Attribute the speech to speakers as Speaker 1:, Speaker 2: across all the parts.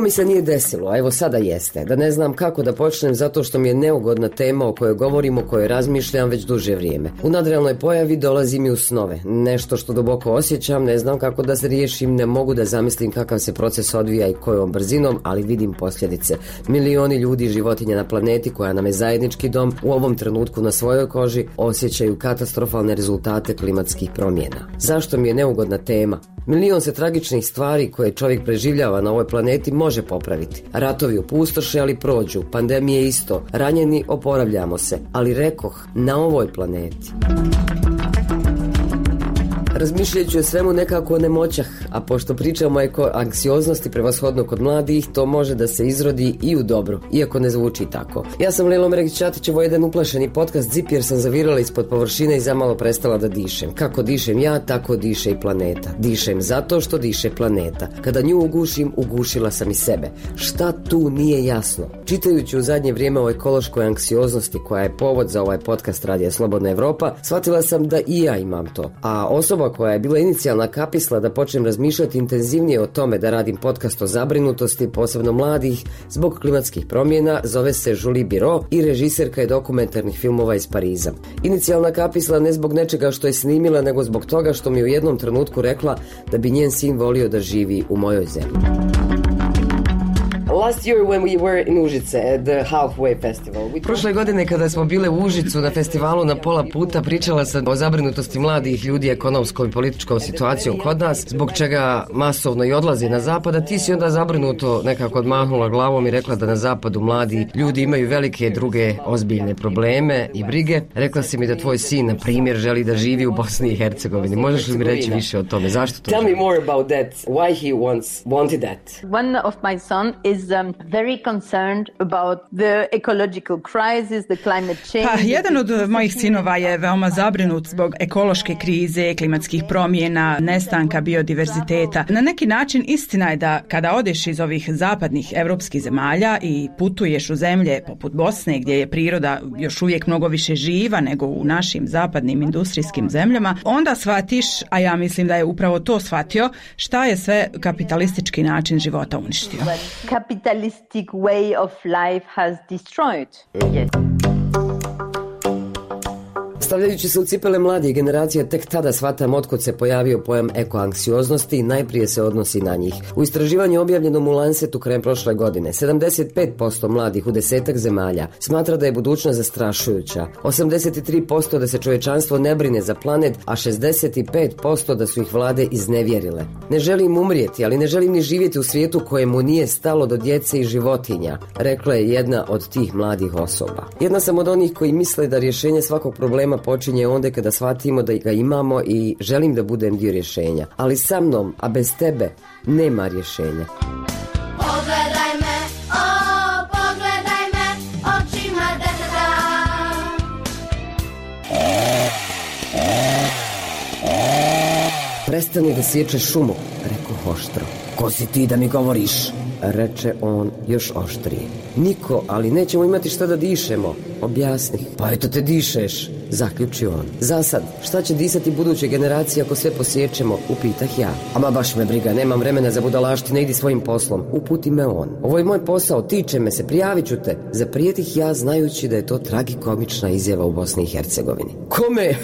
Speaker 1: mi se nije desilo, a evo sada jeste, da ne znam kako da počnem zato što mi je neugodna tema o kojoj govorim, o kojoj razmišljam već duže vrijeme. U nadrealnoj pojavi dolazi mi u snove, nešto što duboko osjećam, ne znam kako da se riješim, ne mogu da zamislim kakav se proces odvija i kojom brzinom, ali vidim posljedice. Milioni ljudi i životinja na planeti koja nam je zajednički dom u ovom trenutku na svojoj koži osjećaju katastrofalne rezultate klimatskih promjena. Zašto mi je neugodna tema? Milion se tragičnih stvari koje čovjek preživljava na ovoj planeti može popraviti. Ratovi opustoše, ali prođu. Pandemije isto. Ranjeni, oporavljamo se. Ali rekoh, na ovoj planeti. Razmišljajući o svemu nekako o nemoćah, a pošto pričamo o anksioznosti prevashodno kod mladih, to može da se izrodi i u dobro, iako ne zvuči tako. Ja sam Lelo Meregić-Ćatić, ovo je jedan uplašeni podcast Zip jer sam zavirala ispod površine i zamalo prestala da dišem. Kako dišem ja, tako diše i planeta. Dišem zato što diše planeta. Kada nju ugušim, ugušila sam i sebe. Šta tu nije jasno? Čitajući u zadnje vrijeme o ekološkoj anksioznosti koja je povod za ovaj podcast Radija Slobodna Evropa, shvatila sam da i ja imam to. A osoba koja je bila inicijalna kapisla da počnem razmišljati intenzivnije o tome da radim podcast o zabrinutosti, posebno mladih, zbog klimatskih promjena, zove se Julie Biro i režiserka je dokumentarnih filmova iz Pariza. Inicijalna kapisla ne zbog nečega što je snimila, nego zbog toga što mi u jednom trenutku rekla da bi njen sin volio da živi u mojoj zemlji. Last year when we were in Užice at the Halfway Festival. Prošle godine kada smo bile u Užicu na festivalu na pola puta, pričala sam o zabrinutosti mladih ljudi ekonomskom i političkom situacijom kod nas, zbog čega masovno i odlazi na zapad, a ti si onda zabrinuto nekako odmahnula glavom i rekla da na zapadu mladi ljudi imaju velike druge ozbiljne probleme i brige. Rekla si mi da tvoj sin, na primjer, želi da živi u Bosni i Hercegovini. Možeš li mi reći više o tome? Zašto to?
Speaker 2: Tell me more about that. Why he wanted that?
Speaker 3: One of my son is very concerned about the ecological crisis, the climate change.
Speaker 4: Pa, jedan od mojih sinova je veoma zabrinut zbog ekološke krize, klimatskih promjena, nestanka biodiverziteta. Na neki način istina je da kada odeš iz ovih zapadnih evropskih zemalja i putuješ u zemlje poput Bosne gdje je priroda još uvijek mnogo više živa nego u našim zapadnim industrijskim zemljama, onda shvatiš, a ja mislim da je upravo to shvatio, šta je sve kapitalistički način života uništio.
Speaker 3: Capitalistic way of life has destroyed. Yes.
Speaker 1: Stavljajući se u cipele mladih generacija, tek tada shvatam otkud se pojavio pojam ekoanksioznosti i najprije se odnosi na njih. U istraživanju objavljenom u Lancetu krajem prošle godine, 75% mladih u 10 zemalja smatra da je budućnost zastrašujuća, 83% da se čovječanstvo ne brine za planet, a 65% da su ih vlade iznevjerile. Ne želim umrijeti, ali ne želim ni živjeti u svijetu kojemu nije stalo do djece i životinja, rekla je jedna od tih mladih osoba. Jedna sam od onih koji misle da rješenje svakog problema počinje onda kada shvatimo da ga imamo i želim da budem dio rješenja. Ali sa mnom, a bez tebe, nema rješenja.
Speaker 5: Pogledaj me, pogledaj me, očima deteta.
Speaker 1: Prestani da sječeš šumu, rekao oštro. Ko si ti da mi govoriš? Reče on još oštrije. Niko, ali nećemo imati šta da dišemo. Objasni. Pa eto te dišeš, zaključio on. Zasad, šta će disati buduće generacije ako sve posjećemo, upitah ja. Ama baš me briga, nemam vremena za budalaštine, idi svojim poslom. Uputi me on. Ovo je moj posao, tiče me se, prijavit ću te. Zaprijetih ja znajući da je to tragikomična izjava u Bosni i Hercegovini. Kome?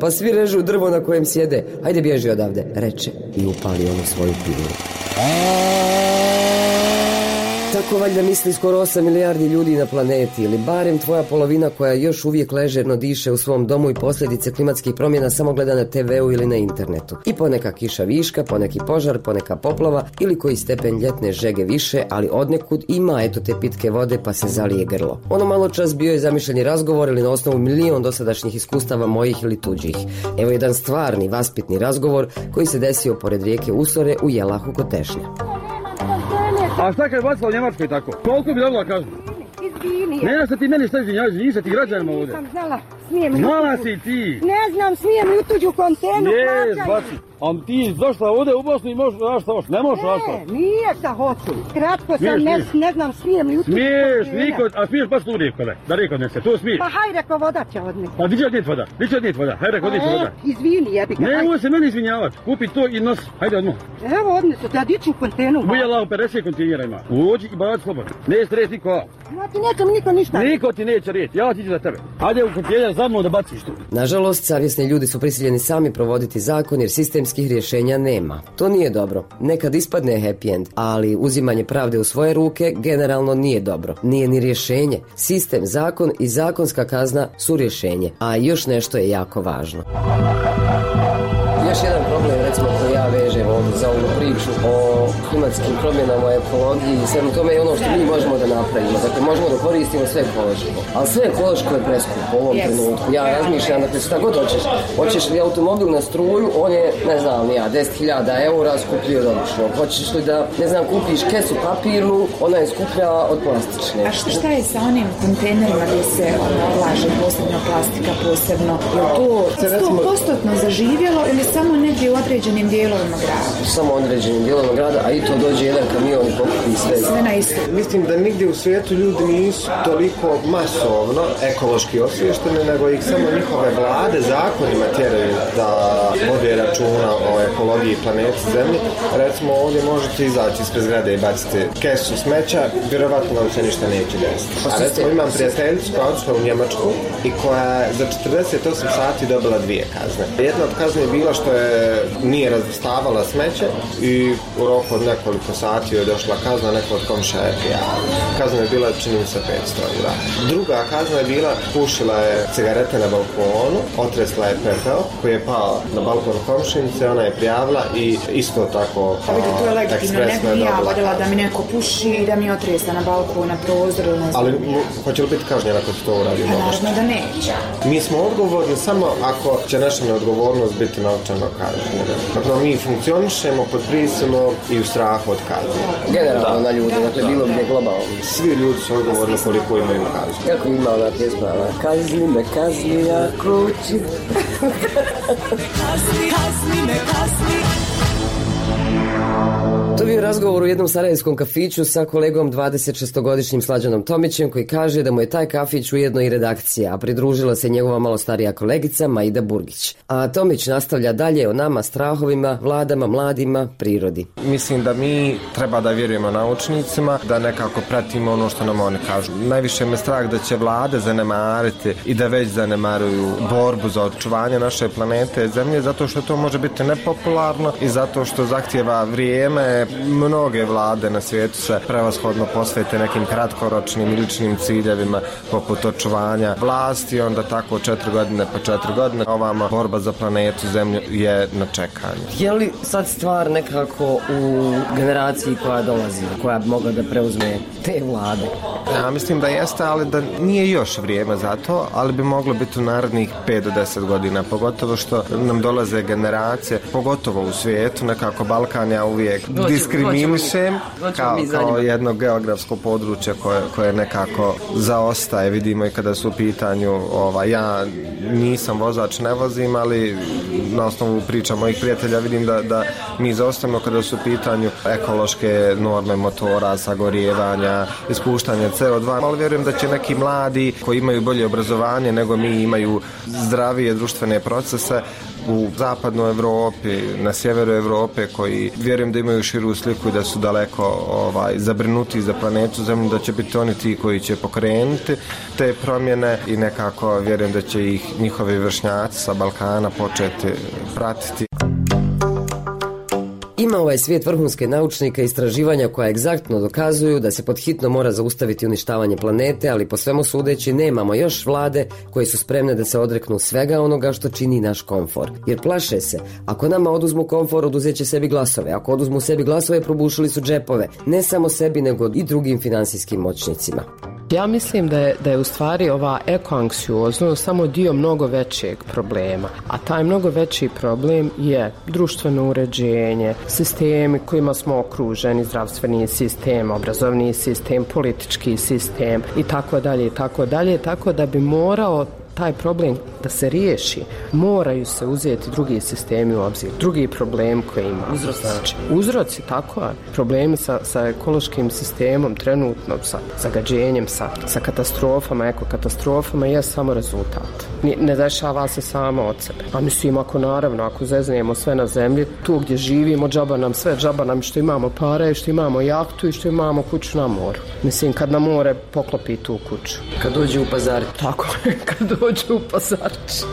Speaker 1: Pa svi režu drvo na kojem sjede. Hajde bježi odavde, reče i upali onu svoju pilu. Tako valjda misli skoro 8 milijardi ljudi na planeti, ili barem tvoja polovina koja još uvijek ležerno diše u svom domu i posljedice klimatskih promjena samo gleda na TV-u ili na internetu. I poneka kiša viška, poneki požar, poneka poplava ili koji stepen ljetne žege više, ali odnekud ima eto te pitke vode pa se zalije grlo. Ono malo čas bio je zamišljeni razgovor ili na osnovu milion dosadašnjih iskustava mojih ili tuđih. Evo jedan stvarni, vaspitni razgovor koji se desio pored rijeke Usore u Jelahu kod Tešnja.
Speaker 6: A šta kad je bacila u Njemačkoj tako? Koliko bi dobila kažu? Izvini. Ne da ti meni šta izvinjaš se ti građanima ovdje.
Speaker 7: Nisam znala, smijem.
Speaker 6: Znala si ti.
Speaker 7: Ne znam, smijem i u tuđu kontenu.
Speaker 6: Jes, baci. A ti došla ovdje u Bosnu i možeš raditi šta hoćeš. Ne možeš raditi šta hoćeš.
Speaker 7: Nije šta hoću. Kratko sam, ne znam, smijem li u tu.
Speaker 6: Smiješ, niko, a smiješ baš tu rijeko, da rijeko nese, to smiješ.
Speaker 7: Pa haj reko voda će odneti.
Speaker 6: Pa di će odnijeti voda, haj reko odnijeti voda.
Speaker 7: Izvini, jebi ga.
Speaker 6: Ne, ovo se meni izvinjavati, kupi to i nosi, hajde odmah.
Speaker 7: Evo odnesu, da diću u kontenu.
Speaker 6: Ubuja lao 50 kontejnera ima, uđi i baci slobodno. Neće reći niko.
Speaker 7: Ja ti neće mi niko ništa.
Speaker 6: Niko ti neće reći, ja ti ću za tebe. Hajde u kontejner za mnom da baciš tu.
Speaker 1: Nažalost, savjesni ljudi su prisiljeni sami provoditi zakon jer sistemskih rješenja nema. To nije dobro. Nekad ispadne happy end, ali uzimanje pravde u svoje ruke generalno nije dobro. Nije ni rješenje. Sistem, zakon i zakonska kazna su rješenje. A još nešto je jako važno. Još jedan problem, recimo, koji ja vežem ovdje za ovu priču o klimatskim promjenama, ekologiji i svemu tome je ono što mi možemo da napravimo. Dakle, možemo da koristimo sve ekološko. Ali sve ekološko je preskupo u ovom trenutku. Ja razmišljam, dakle, šta god hoćeš. Hoćeš li automobil na struju, on je, ne znam, 10.000 eura skuplji od običnog. Hoćeš li da, ne znam, kupiš kesu papirnu, ona je skuplja od plastične.
Speaker 8: A šta je sa onim kontejnerima gdje se odlaže posebno plastika, posebno? Je to 100% zaživjelo ili samo negdje u određenim dijelovima grada?
Speaker 1: Samo u određenim dijelovima grada, a i to dođe jedan kamion i pokupi sve
Speaker 8: na isto.
Speaker 9: Mislim da nigdje u svijetu ljudi nisu toliko masovno ekološki osviješteni, nego ih samo njihove vlade zakonima tjeraju da vode računa o ekologiji planeti Zemlji. Recimo ovdje možete izaći ispred zgrade i baciti kesu smeća, vjerovatno vam se ništa neće desiti. A recimo imam prijateljicu koja odšla u Njemačku i koja je za 48 sati dobila 2 kazne. Jedna od kazne je bila što nije razvrstavala smeće i u roku od nekoliko sati je došla kazna, neko od komšija je prijavila. Kazna je bila, čini mi se, 500 eura. Druga kazna je bila, pušila je cigarete na balkonu, otresla je pepeo koji je pao na balkon komšinice, ona je prijavila i isto tako
Speaker 8: to je legitimno, ne bi ja vodila da mi neko puši i da mi otresa na balkon, na prozor.
Speaker 9: Ali hoće li biti kažnjena ako se to uradi?
Speaker 8: Naravno da neće.
Speaker 9: Mi smo odgovorni samo ako će naša neodgovornost biti novčano kažnjena. Dakle, mi funkcionišemo pod prisilom i u strahu od kazne.
Speaker 1: Generalno na ljudi, dakle bilo gdje globalno.
Speaker 9: Svi ljudi su odgovorni koliko imaju kaznu.
Speaker 1: Kako ima ona pjesma? Kazni me, kazni, ja kući.
Speaker 10: Kazni me, kazni.
Speaker 1: To je bio razgovor u jednom sarajevskom kafiću sa kolegom 26-godišnjim Slađanom Tomićem koji kaže da mu je taj kafić ujedno i redakcija, a pridružila se njegova malo starija kolegica Maida Burgić. A Tomić nastavlja dalje o nama, strahovima, vladama, mladima, prirodi.
Speaker 9: Mislim da mi treba da vjerujemo naučnicima, da nekako pratimo ono što nam oni kažu. Najviše me strah da će vlade zanemariti i da već zanemaruju borbu za očuvanje naše planete Zemlje, zato što to može biti nepopularno i zato što zahtijeva vrijeme. Mnoge vlade na svijetu se prevashodno posvete nekim kratkoročnim i ličnim ciljevima poput očuvanja vlasti, onda tako 4 godine pa 4 godine. Ovama borba za planetu Zemlju je na čekanju.
Speaker 1: Je li sad stvar nekako u generaciji koja dolazi, koja bi mogla da preuzme te vlade?
Speaker 9: Ja mislim da jeste, ali da nije još vrijeme za to, ali bi moglo biti u narednih 5 do 10 godina, pogotovo što nam dolaze generacije, pogotovo u svijetu, nekako Balkan ja uvijek diskriminišem kao jedno geografsko područje koje nekako zaostaje, vidimo i kada su u pitanju, ja nisam vozač, ne vozim, ali na osnovu priča mojih prijatelja vidim da mi zaostajemo kada su u pitanju ekološke norme motora, sagorijevanja, ispuštanja CO2, ali vjerujem da će neki mladi koji imaju bolje obrazovanje nego mi, imaju zdravije društvene procese u zapadnoj Evropi, na sjeveru Evrope, koji vjerujem da imaju širu sliku i da su daleko zabrinuti za planetu Zemlju, da će biti oni ti koji će pokrenuti te promjene i nekako vjerujem da će ih njihovi vršnjaci sa Balkana početi pratiti.
Speaker 1: Ima ovaj svijet vrhunske naučnika i istraživanja koja egzaktno dokazuju da se pod hitno mora zaustaviti uništavanje planete, ali po svemu sudeći nemamo još vlade koje su spremne da se odreknu svega onoga što čini naš komfor. Jer plaše se, ako nama oduzmu komfor, oduzeće sebi glasove. Ako oduzmu sebi glasove, probušili su džepove. Ne samo sebi, nego i drugim finansijskim moćnicima.
Speaker 11: Ja mislim da je u stvari ova ekoanksioznost samo dio mnogo većeg problema, a taj mnogo veći problem je društveno uređenje, sistemi kojima smo okruženi, zdravstveni sistem, obrazovni sistem, politički sistem i tako dalje, tako da bi morao taj problem da se riješi, moraju se uzeti drugi sistemi u obzir, drugi problem koji im uzroci, tako je, problemi sa ekološkim sistemom trenutno, sa zagađenjem, sa katastrofama, ekokatastrofama je samo rezultat. Ne dešava se samo od sebe. A mislim, ako zeznijemo sve na zemlji, tu gdje živimo, džaba nam sve, džaba nam što imamo pare, što imamo jahtu i što imamo kuću na moru. Mislim, kad na more poklopi tu kuću.
Speaker 1: Kad dođe u pazar.
Speaker 11: Tako je, kad dođe u pazarić.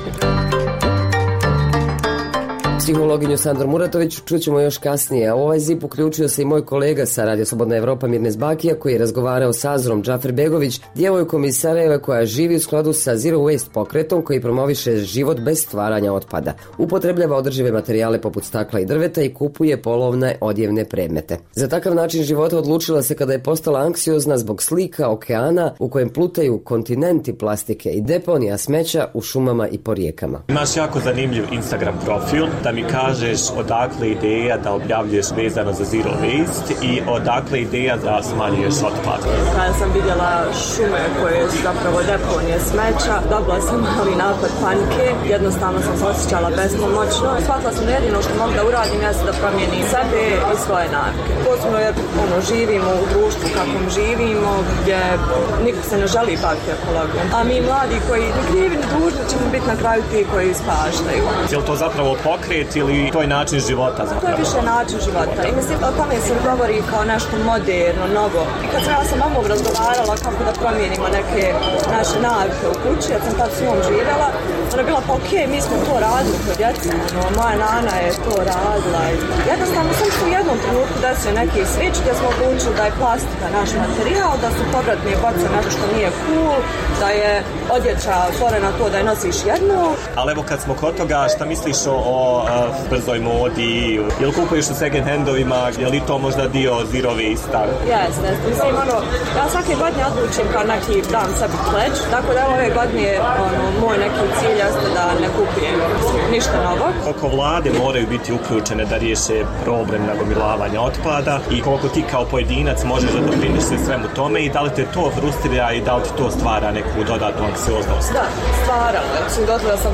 Speaker 1: Psihologinju Sandru Muratović čućemo još kasnije, a u ovaj zip uključio se i moj kolega sa Radio Slobodna Evropa Mirnes Bakija, koji je razgovarao sa Azrom Džaferbegović, djevojkom iz Sarajeva koja živi u skladu sa Zero Waste pokretom koji promoviše život bez stvaranja otpada. Upotrebljava održive materijale poput stakla i drveta i kupuje polovne odjevne predmete. Za takav način života odlučila se kada je postala anksiozna zbog slika okeana u kojem plutaju kontinenti plastike i deponija smeća u šumama i po rijekama.
Speaker 12: Imaš jako zanimljiv Instagram profil, da mi kažeš odakle ideja da objavljuješ vezano za Zero Waste i odakle ideja da smanjuješ otpad.
Speaker 13: Kada sam vidjela šume koje su zapravo deponije smeća, dobila sam mali napad panike, jednostavno sam se osjećala bespomoćno. Shvatila sam da jedino što mogu da uradim jeste da promijenim sebe i svoje navike. Posebno jer živimo u društvu kakvom živimo, gdje niko se ne želi baviti ekologijom. A mi mladi koji ni krivi ni dužni ćemo biti na kraju ti koji ispaštaju.
Speaker 12: Je li to zapravo pokret ili to je način života zapravo?
Speaker 13: To je više način života i mislim o tome se govori kao nešto moderno, novo. I kad sam ja sa mamom razgovarala kako da promijenimo neke naše navike u kući, ja sam tad s njom živjela, ona je bila pa okej, mi smo to radili kod djeca, moja nana je to radila. Jednostavno sam se u jednom trenutku desio neki switch gdje smo odlučili da je plastika naš materijal, da su povratne boce nešto što nije cool, da je odjeća stvorena to da je nosiš jednu.
Speaker 12: Ali evo kad smo kod toga, šta misliš o brzoj modi, jel kupuješ u second handovima, je li to možda dio Zero Waste-a?
Speaker 13: Jeste, mislim, ja svake godine odlučim kao neki dan sebi pledge, tako da ove godine moj neki cilj jeste da ne kupujem ništa novo.
Speaker 12: Koliko vlade moraju biti uključene da riješe problem nagomilavanja otpada i koliko ti kao pojedinac možeš da doprineš svemu tome i da li te to frustrira i da li ti to stvara neku dodatnu anksioznost?
Speaker 13: Da, stvara. Gotovo sam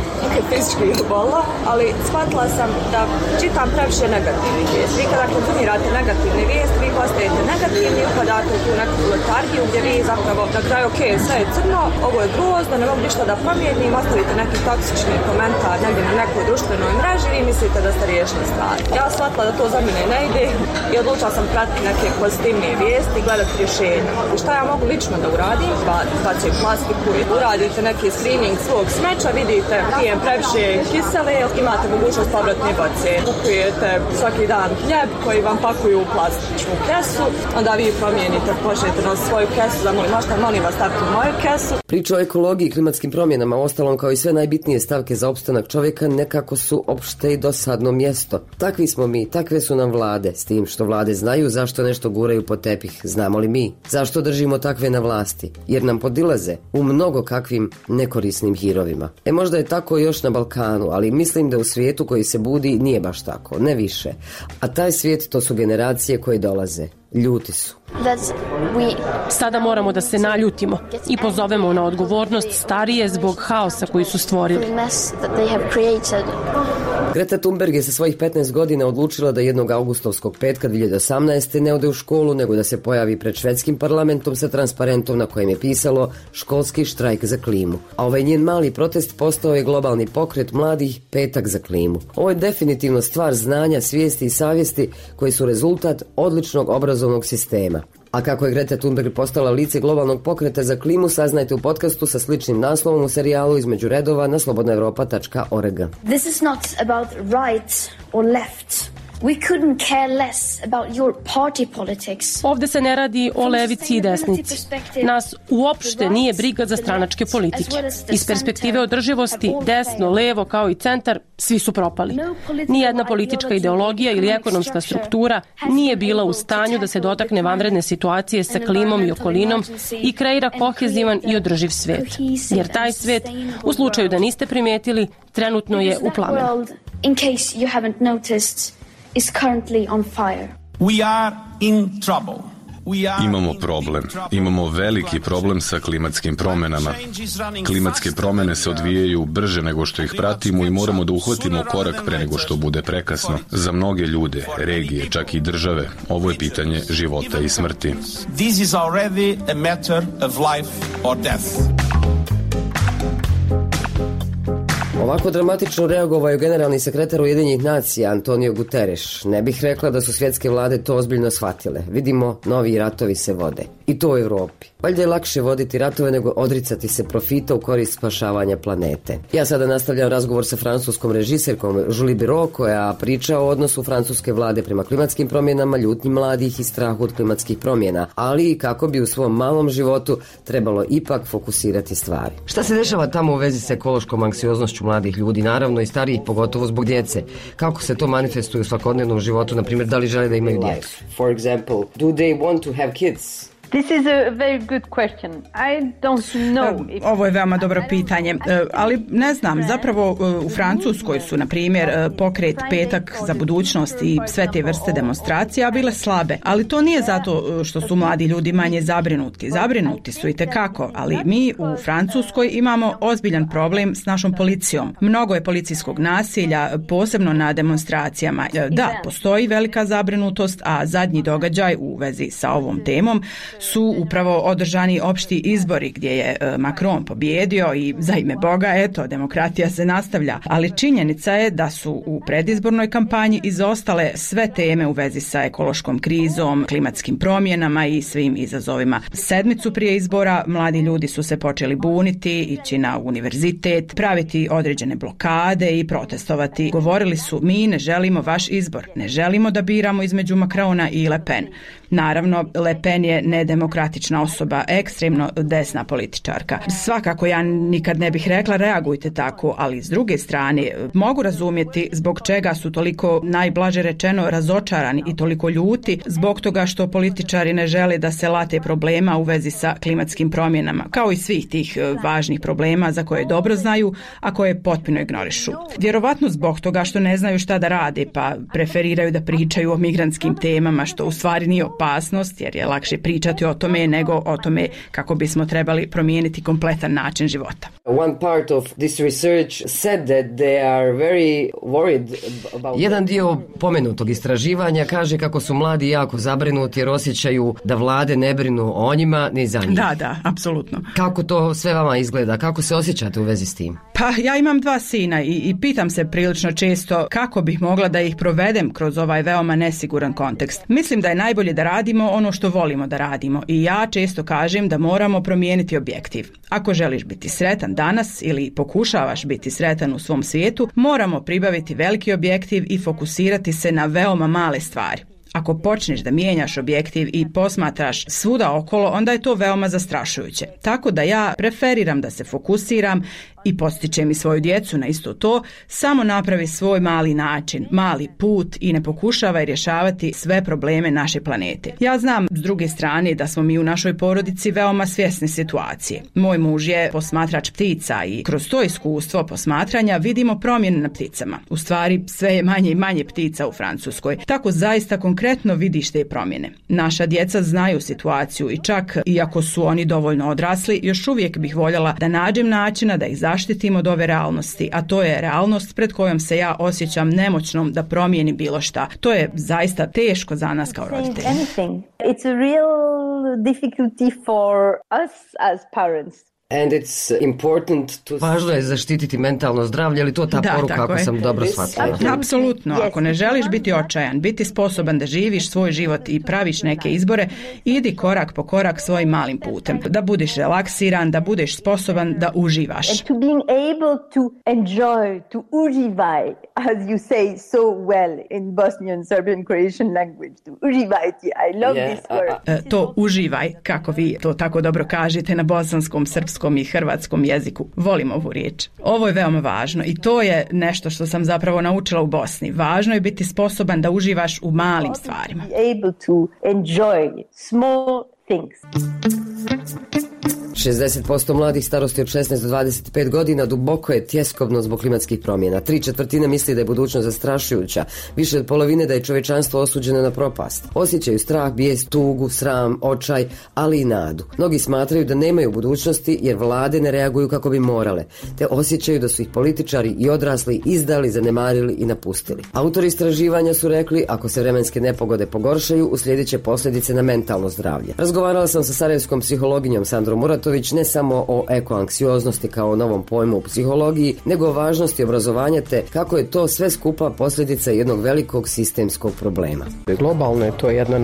Speaker 13: fizički bolila, ali shvatila sam da čitam previše negativnih vijesti. Vi kada konzumirate negativne vijesti, vi postajete negativni, upadate u tu neku letargiju gdje vi zapravo na kraju, okej, sve je crno, ovo je grozno, ne mogu ništa da promijenim, ostavite neki toksični komentar negdje na nekoj društvenoj mreži i mislite da ste riješili stvar. Ja shvatila da to za mene ne ide i odlučila sam pratiti neke pozitivnije vijesti i gledati rješenja. I šta ja mogu lično da uradim? Bacim plastiku i uradite neki screening svog smeća, vidite pijem previše kisele, imate mogućnost povratne boce. Kupujete svaki dan hljeb koji vam pakuju u plastičnu kesu, onda vi promijenite, počnete na svoju kesu, molim vas stavite u moju kesu.
Speaker 1: Priča o ekologiji i klimatskim promjenama, ostalom kao i sve najbitnije stavke za opstanak čovjeka, nekako su opšte i dosadno mjesto. Takvi smo mi, takve su nam vlade, s tim što vlade znaju zašto nešto guraju pod tepih. Znamo li mi? Zašto držimo takve na vlasti? Jer nam podilaze u mnogo kakvim nekorisnim hirovima. Možda je tako još na Balkanu, ali mislim da u svijetu koji se budi nije baš tako, ne više. A taj svijet to su generacije koje dolaze. Ljuti su.
Speaker 14: Sada moramo da se naljutimo i pozovemo na odgovornost starije zbog haosa koji su stvorili.
Speaker 1: Greta Thunberg je sa svojih 15 godina odlučila da jednog augustovskog petka 2018. ne ode u školu, nego da se pojavi pred švedskim parlamentom sa transparentom na kojem je pisalo školski štrajk za klimu. A ovaj njen mali protest postao je globalni pokret mladih Petak za klimu. Ovo je definitivno stvar znanja, svijesti i savjesti koji su rezultat odličnog obrazovnog sistema. A kako je Greta Thunberg postala lice globalnog pokreta za klimu, saznajte u podcastu sa sličnim naslovom u serijalu Između redova na slobodnaevropa.org.
Speaker 15: This is not about right or left. We couldn't care less about your party politics.
Speaker 14: Ovde se ne radi o levici i desnici. Nas uopšte nije briga za stranačke politike. Iz perspektive održivosti, desno, levo kao i centar, svi su propali. Nijedna politička ideologija ili ekonomska struktura nije bila u stanju da se dotakne vanredne situacije sa klimom i okolinom i kreira kohezivan i održiv svet. Jer taj svet, u slučaju da niste primijetili, trenutno je u plamenu.
Speaker 15: In case you haven't noticed, is currently on fire.
Speaker 10: We are in trouble.
Speaker 16: Imamo problem. Imamo veliki problem sa klimatskim promjenama. Klimatske promjene se odvijaju brže nego što ih pratimo i moramo da uhvatimo korak pre nego što bude prekasno. Za mnoge ljude, regije, čak i države, ovo je pitanje života i smrti.
Speaker 17: This is already a matter of life or death.
Speaker 1: Ovako dramatično reagovao je generalni sekretar Ujedinjenih nacija Antonio Guterres. Ne bih rekla da su svjetske vlade to ozbiljno shvatile. Vidimo, novi ratovi se vode. I to u Europi. Valjda je lakše voditi ratove nego odricati se profita u korist spašavanja planete. Ja sada nastavljam razgovor sa francuskom režiserkom Julie Biro, koja priča o odnosu francuske vlade prema klimatskim promjenama, ljutnji mladih i strahu od klimatskih promjena, ali i kako bi u svom malom životu trebalo ipak fokusirati stvari. Šta se dešava tamo u vezi s ekološkom anksioznošću mladih ljudi, naravno i starijih, pogotovo zbog djece? Kako se to manifestuje u svakodnevnom životu, na primjer, da li žele da imaju djecu?
Speaker 2: For example, do they want to have kids?
Speaker 3: This is a very good question. I don't know.
Speaker 4: Ovo je veoma dobro pitanje, ali ne znam, zapravo u Francuskoj su, na primjer, pokret Petak za budućnost i sve te vrste demonstracija bile slabe, ali to nije zato što su mladi ljudi manje zabrinuti. Zabrinuti su i tekako, ali mi u Francuskoj imamo ozbiljan problem s našom policijom. Mnogo je policijskog nasilja, posebno na demonstracijama. Da, postoji velika zabrinutost, a zadnji događaj u vezi sa ovom temom su upravo održani opšti izbori gdje je Macron pobjedio i za ime Boga, eto, demokratija se nastavlja. Ali činjenica je da su u predizbornoj kampanji izostale sve teme u vezi sa ekološkom krizom, klimatskim promjenama i svim izazovima. Sedmicu prije izbora mladi ljudi su se počeli buniti, ići na univerzitet, praviti određene blokade i protestovati. Govorili su, mi ne želimo vaš izbor, ne želimo da biramo između Macrona i Le Pen. Naravno, Le Pen je nedemokratična osoba, ekstremno desna političarka. Svakako ja nikad ne bih rekla reagujte tako, ali s druge strane mogu razumjeti zbog čega su toliko, najblaže rečeno, razočarani i toliko ljuti zbog toga što političari ne žele da se late problema u vezi sa klimatskim promjenama, kao i svih tih važnih problema za koje dobro znaju, a koje potpuno ignorišu. Vjerovatno zbog toga što ne znaju šta da rade, pa preferiraju da pričaju o migrantskim temama, što u stvari nije opasnost, jer je lakše pričati o tome nego o tome kako bismo trebali promijeniti kompletan način života.
Speaker 2: One part of this research said that they are very worried about...
Speaker 1: Jedan dio pomenutog istraživanja kaže kako su mladi jako zabrinuti jer osjećaju da vlade ne brinu o njima ni za njih.
Speaker 4: Da, apsolutno.
Speaker 1: Kako to sve vama izgleda? Kako se osjećate u vezi s tim?
Speaker 4: Pa ja imam 2 sina i pitam se prilično često kako bih mogla da ih provedem kroz ovaj veoma nesiguran kontekst. Mislim da je najbolje da radimo ono što volimo da radimo i ja često kažem da moramo promijeniti objektiv. Ako želiš biti sretan danas ili pokušavaš biti sretan u svom svijetu, moramo pribaviti veliki objektiv i fokusirati se na veoma male stvari. Ako počneš da mijenjaš objektiv i posmatraš svuda okolo, onda je to veoma zastrašujuće. Tako da ja preferiram da se fokusiram i postičem i svoju djecu na isto to, samo napravi svoj mali način, mali put i ne pokušavaj rješavati sve probleme naše planete. Ja znam s druge strane da smo mi u našoj porodici veoma svjesni situacije. Moj muž je posmatrač ptica i kroz to iskustvo posmatranja vidimo promjene na pticama. U stvari sve je manje i manje ptica u Francuskoj. Tako zaista konkretno vidiš te promjene. Naša djeca znaju situaciju i čak iako su oni dovoljno odrasli, još uvijek bih voljela da nađem načina da ih zaštitimo od ove realnosti, a to je realnost pred kojom se ja osjećam nemoćnom da promijenim bilo šta. To je zaista teško za nas kao roditelji.
Speaker 3: It's a real difficulty for us as parents.
Speaker 2: And it's important to...
Speaker 1: Važno je zaštititi mentalno zdravlje, ali to ta poruka ako sam dobro shvatila.
Speaker 4: Apsolutno, ako ne želiš biti očajan, biti sposoban da živiš svoj život i praviš neke izbore, idi korak po korak svojim malim putem. Da budeš relaksiran, da budeš sposoban da uživaš.
Speaker 3: And to being able to enjoy, to uživaj, as you say so well in Bosnian, Serbian, Croatian language. To uživajti, I love this word.
Speaker 4: To uživaj, kako vi to tako dobro kažete na bosanskom, srpskom i hrvatskom jeziku. Volim ovu riječ. Ovo je veoma važno i to je nešto što sam zapravo naučila u Bosni. Važno je biti sposoban da uživaš u malim stvarima.
Speaker 1: 60% mladih starosti od 16 do 25 godina duboko je tjeskobno zbog klimatskih promjena. 3/4 misli da je budućnost zastrašujuća, više od polovine da je čovječanstvo osuđeno na propast. Osjećaju strah, bijes, tugu, sram, očaj, ali i nadu. Mnogi smatraju da nemaju budućnosti jer vlade ne reaguju kako bi morale, te osjećaju da su ih političari i odrasli izdali, zanemarili i napustili. Autori istraživanja su rekli, ako se vremenske nepogode pogoršaju, uslijedit će posljedice na mentalno zdravlje. Razgovarala sam sa sarajevskom psihologinjom Sandrom Muratović ne samo o ekoanksioznosti kao novom pojmu u psihologiji, nego o važnosti obrazovanja te kako je to sve skupa posljedica jednog velikog sistemskog problema.
Speaker 11: Globalno je to jedna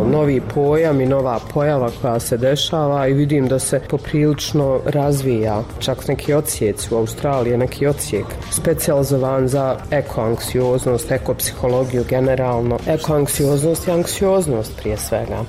Speaker 11: novi pojam i nova pojava koja se dešava i vidim da se poprilično razvija. Čak neki odsjeci u Australiji, neki odsjek specijalizovan za ekoanksioznost, ekopsihologiju generalno. Ekoanksioznost je anksioznost prije svega.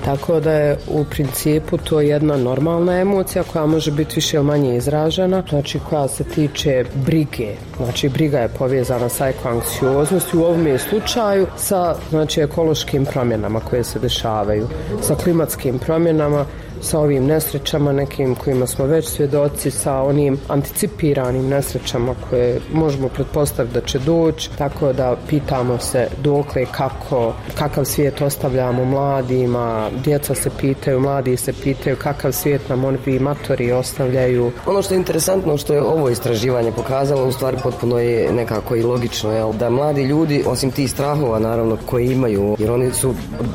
Speaker 11: Tako da je u principu to jedna normalna emocija koja može biti više ili manje izražena, znači koja se tiče brige. Znači briga je povezana sa ekoanksioznosti u ovom slučaju sa ekološkim promjenama koje se dešavaju, sa klimatskim promjenama, sa ovim nesrećama nekim kojima smo već svjedoci, sa onim anticipiranim nesrećama koje možemo pretpostaviti da će doći, tako da pitamo se dokle kakav svijet ostavljamo mladima, djeca se pitaju, mladi se pitaju kakav svijet nam ovi matori ostavljaju.
Speaker 1: Ono što je interesantno, što je ovo istraživanje pokazalo, u stvari potpuno je nekako i logično, da mladi ljudi, osim tih strahova naravno koji imaju, jer oni su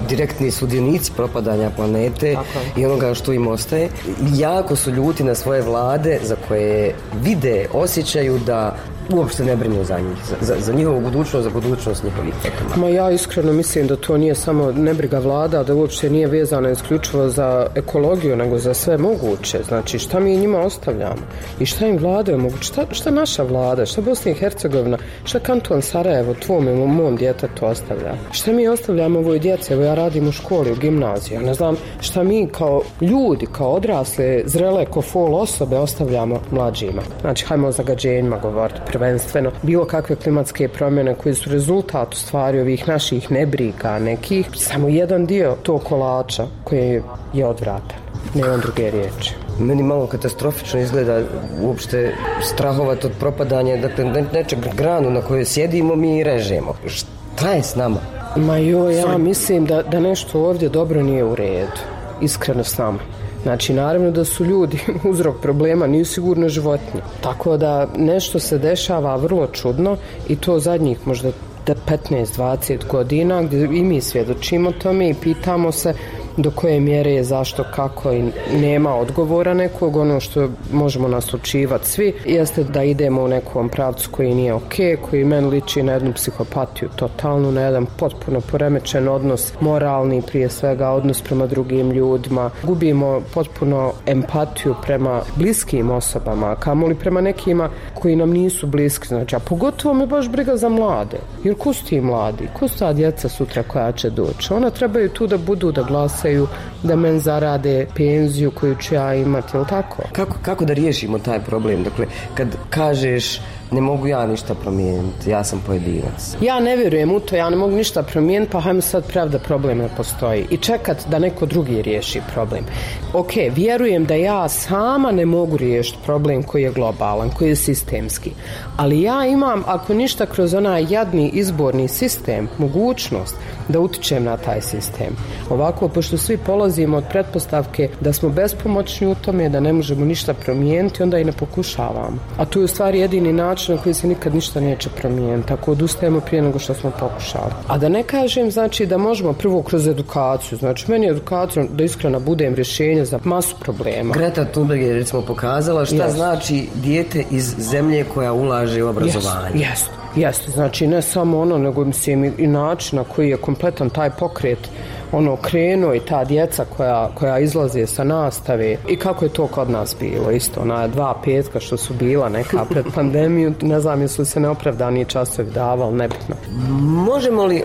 Speaker 1: direktni sudionici propadanja planete i onoga što im ostaje, jako su ljuti na svoje vlade za koje vide, osjećaju da uopšte ne brinu za njih, za njihovu budućnost, za budućnost njihovih potomaka.
Speaker 11: Ma ja iskreno mislim da to nije samo nebriga vlada, da uopšte nije vezano isključivo za ekologiju, nego za sve moguće. Znači šta mi njima ostavljamo i šta im vlade mogu, šta naša vlada, šta Bosna i Hercegovina, šta kanton Sarajevo, tvom i mom djetetu ostavlja. Šta mi ostavljamo ovoj djeci, evo ja radim u školi, u gimnaziju, ne znam šta mi kao ljudi, kao odrasle, zrele, ko fol osobe ostavljamo mlađima. Znači hajmo o zagađenjima govoriti prvenstveno, bilo kakve klimatske promjene koji su rezultat u stvari ovih naših nebriga nekih, samo jedan dio tog kolača koji je odvratan. Nemam druge riječi.
Speaker 1: Meni malo katastrofično izgleda uopšte strahovat od propadanja, dakle nečeg granu na kojoj sjedimo mi i režemo. Šta je s nama?
Speaker 11: Ma ja mislim da nešto ovdje dobro nije u redu. Iskreno s nama. Znači, naravno da su ljudi uzrok problema, nisu sigurno životinje. Tako da nešto se dešava vrlo čudno i to zadnjih možda 15-20 godina gdje i mi svjedočimo tome i pitamo se do koje mjere je, zašto, kako i nema odgovora nekog. Ono što možemo naslučivati svi jeste da idemo u nekom pravcu koji nije ok, koji meni liči na jednu psihopatiju totalnu, na jedan potpuno poremećen odnos, moralni prije svega, odnos prema drugim ljudima. Gubimo potpuno empatiju prema bliskim osobama, kamoli prema nekima koji nam nisu bliski. Znači, a pogotovo me baš briga za mlade. Jer ko su ti mladi? Ko su ta djeca sutra koja će doći? Ona trebaju tu da budu, da glasaju, da men zarade penziju koju ću ja imati, ili tako?
Speaker 1: Kako da riješimo taj problem? Dakle, kad kažeš ne mogu ja ništa promijeniti, ja sam pojedinac.
Speaker 11: Ja ne vjerujem u to, ja ne mogu ništa promijeniti, pa hajmo sad prav da problem ne postoji i čekat da neko drugi riješi problem. Ok, vjerujem da ja sama ne mogu riješiti problem koji je globalan, koji je sistemski, ali ja imam, ako ništa, kroz onaj jadni izborni sistem, mogućnost da utičem na taj sistem. Ovako, pošto svi polazimo od pretpostavke da smo bespomoćni u tome, da ne možemo ništa promijeniti, onda i ne pokušavamo. A tu je u stvari jedini način na koji se nikad ništa neće promijeniti, tako odustajemo prije nego što smo pokušali. A da ne kažem, znači, da možemo prvo kroz edukaciju, znači meni je edukacija, da iskreno budem, rješenje za masu problema.
Speaker 1: Greta Thunberg je recimo pokazala šta znači dijete iz zemlje koja ulaže u obrazovanje.
Speaker 11: Jeste, znači ne samo ono, nego mislim i način na koji je kompletan taj pokret krenuo i ta djeca koja izlaze sa nastave i kako je to kod nas bilo isto, ona 2 petka što su bila neka pred pandemiju, ne znam jesu se neopravdani časovi davali, nebitno.
Speaker 1: Možemo li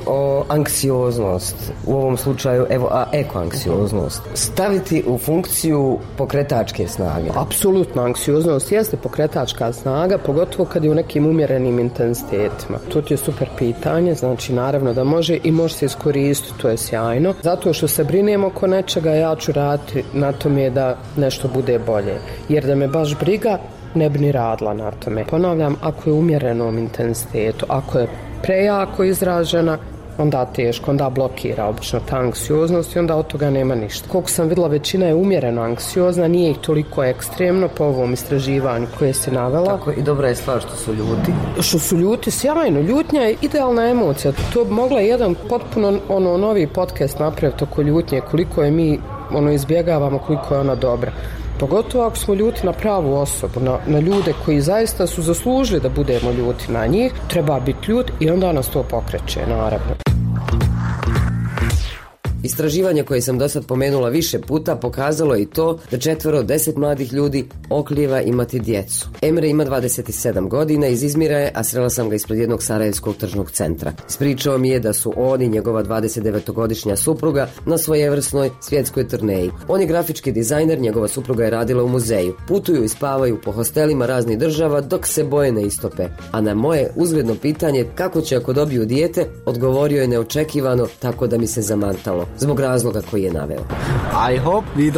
Speaker 1: anksioznost u ovom slučaju, ekoanksioznost staviti u funkciju pokretačke snage?
Speaker 11: Apsolutno, anksioznost jeste pokretačka snaga, pogotovo kad je u nekim umjerenim intenzitetima. To ti je super pitanje, znači naravno da može i može se iskoristiti, to je sjajno. dovoljno. Zato što se brinem oko nečega, ja ću raditi na tome da nešto bude bolje. Jer da me baš briga, ne bi ni radila na tome. Ponavljam, ako je u umjerenom intenzitetu, ako je prejako izražena, onda teško, onda blokira obično ta anksioznost i onda od toga nema ništa. Koliko sam vidjela, većina je umjereno anksiozna, nije ih toliko ekstremno po ovom istraživanju koje si navela.
Speaker 1: Tako, i dobra je stvar što su ljuti.
Speaker 11: Što su ljuti, sjajno. Ljutnja je idealna emocija. To bi mogla jedan potpuno novi podcast napraviti oko ljutnje, koliko je mi izbjegavamo, koliko je ona dobra. Pogotovo ako smo ljuti na pravu osobu, na ljude koji zaista su zaslužili da budemo ljuti na njih, treba biti ljut i onda nas to pokreće, naravno.
Speaker 1: Istraživanje koje sam do sad pomenula više puta pokazalo je i to da 4 od 10 mladih ljudi oklijeva imati djecu. Emre ima 27 godina, iz Izmira je, a srela sam ga ispred jednog sarajevskog tržnog centra. Ispričao mi je da su on i njegova 29-godišnja supruga na svojevrsnoj svjetskoj turneji. On je grafički dizajner, njegova supruga je radila u muzeju. Putuju i spavaju po hostelima raznih država dok se boje ne istope. A na moje uzgledno pitanje kako će ako dobiju dijete, odgovorio je neočekivano, tako da mi se zamantalo. Zbog razloga koji je naveo.
Speaker 18: I hope we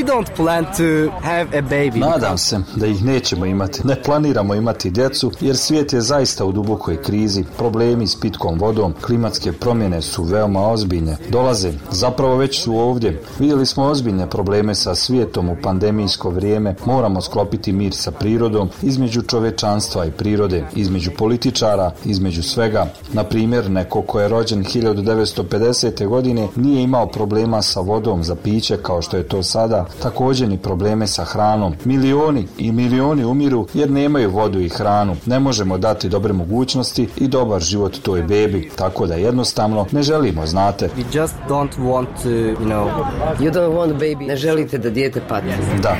Speaker 18: don't plan to have a baby.
Speaker 19: Nadam se da ih nećemo imati. Ne planiramo imati djecu jer svijet je zaista u dubokoj krizi. Problemi s pitkom vodom, klimatske promjene su veoma ozbiljne. Dolaze, zapravo već su ovdje. Vidjeli smo ozbiljne probleme sa svijetom u pandemijsko vrijeme. Moramo sklopiti mir sa prirodom, između čovečanstva i prirode, između političara, između svega. Na primjer, neko ko je rođen 1950. godine nije imao problema sa vodom za piće kao što je to sada, također ni probleme sa hranom. Milioni i milioni umiru jer nemaju vodu i hranu. Ne možemo dati dobre mogućnosti i dobar život toj bebi, tako da jednostavno ne želimo, znate.
Speaker 18: We just don't want to,
Speaker 1: You don't want baby. Ne želite da dijete pati.
Speaker 19: Da.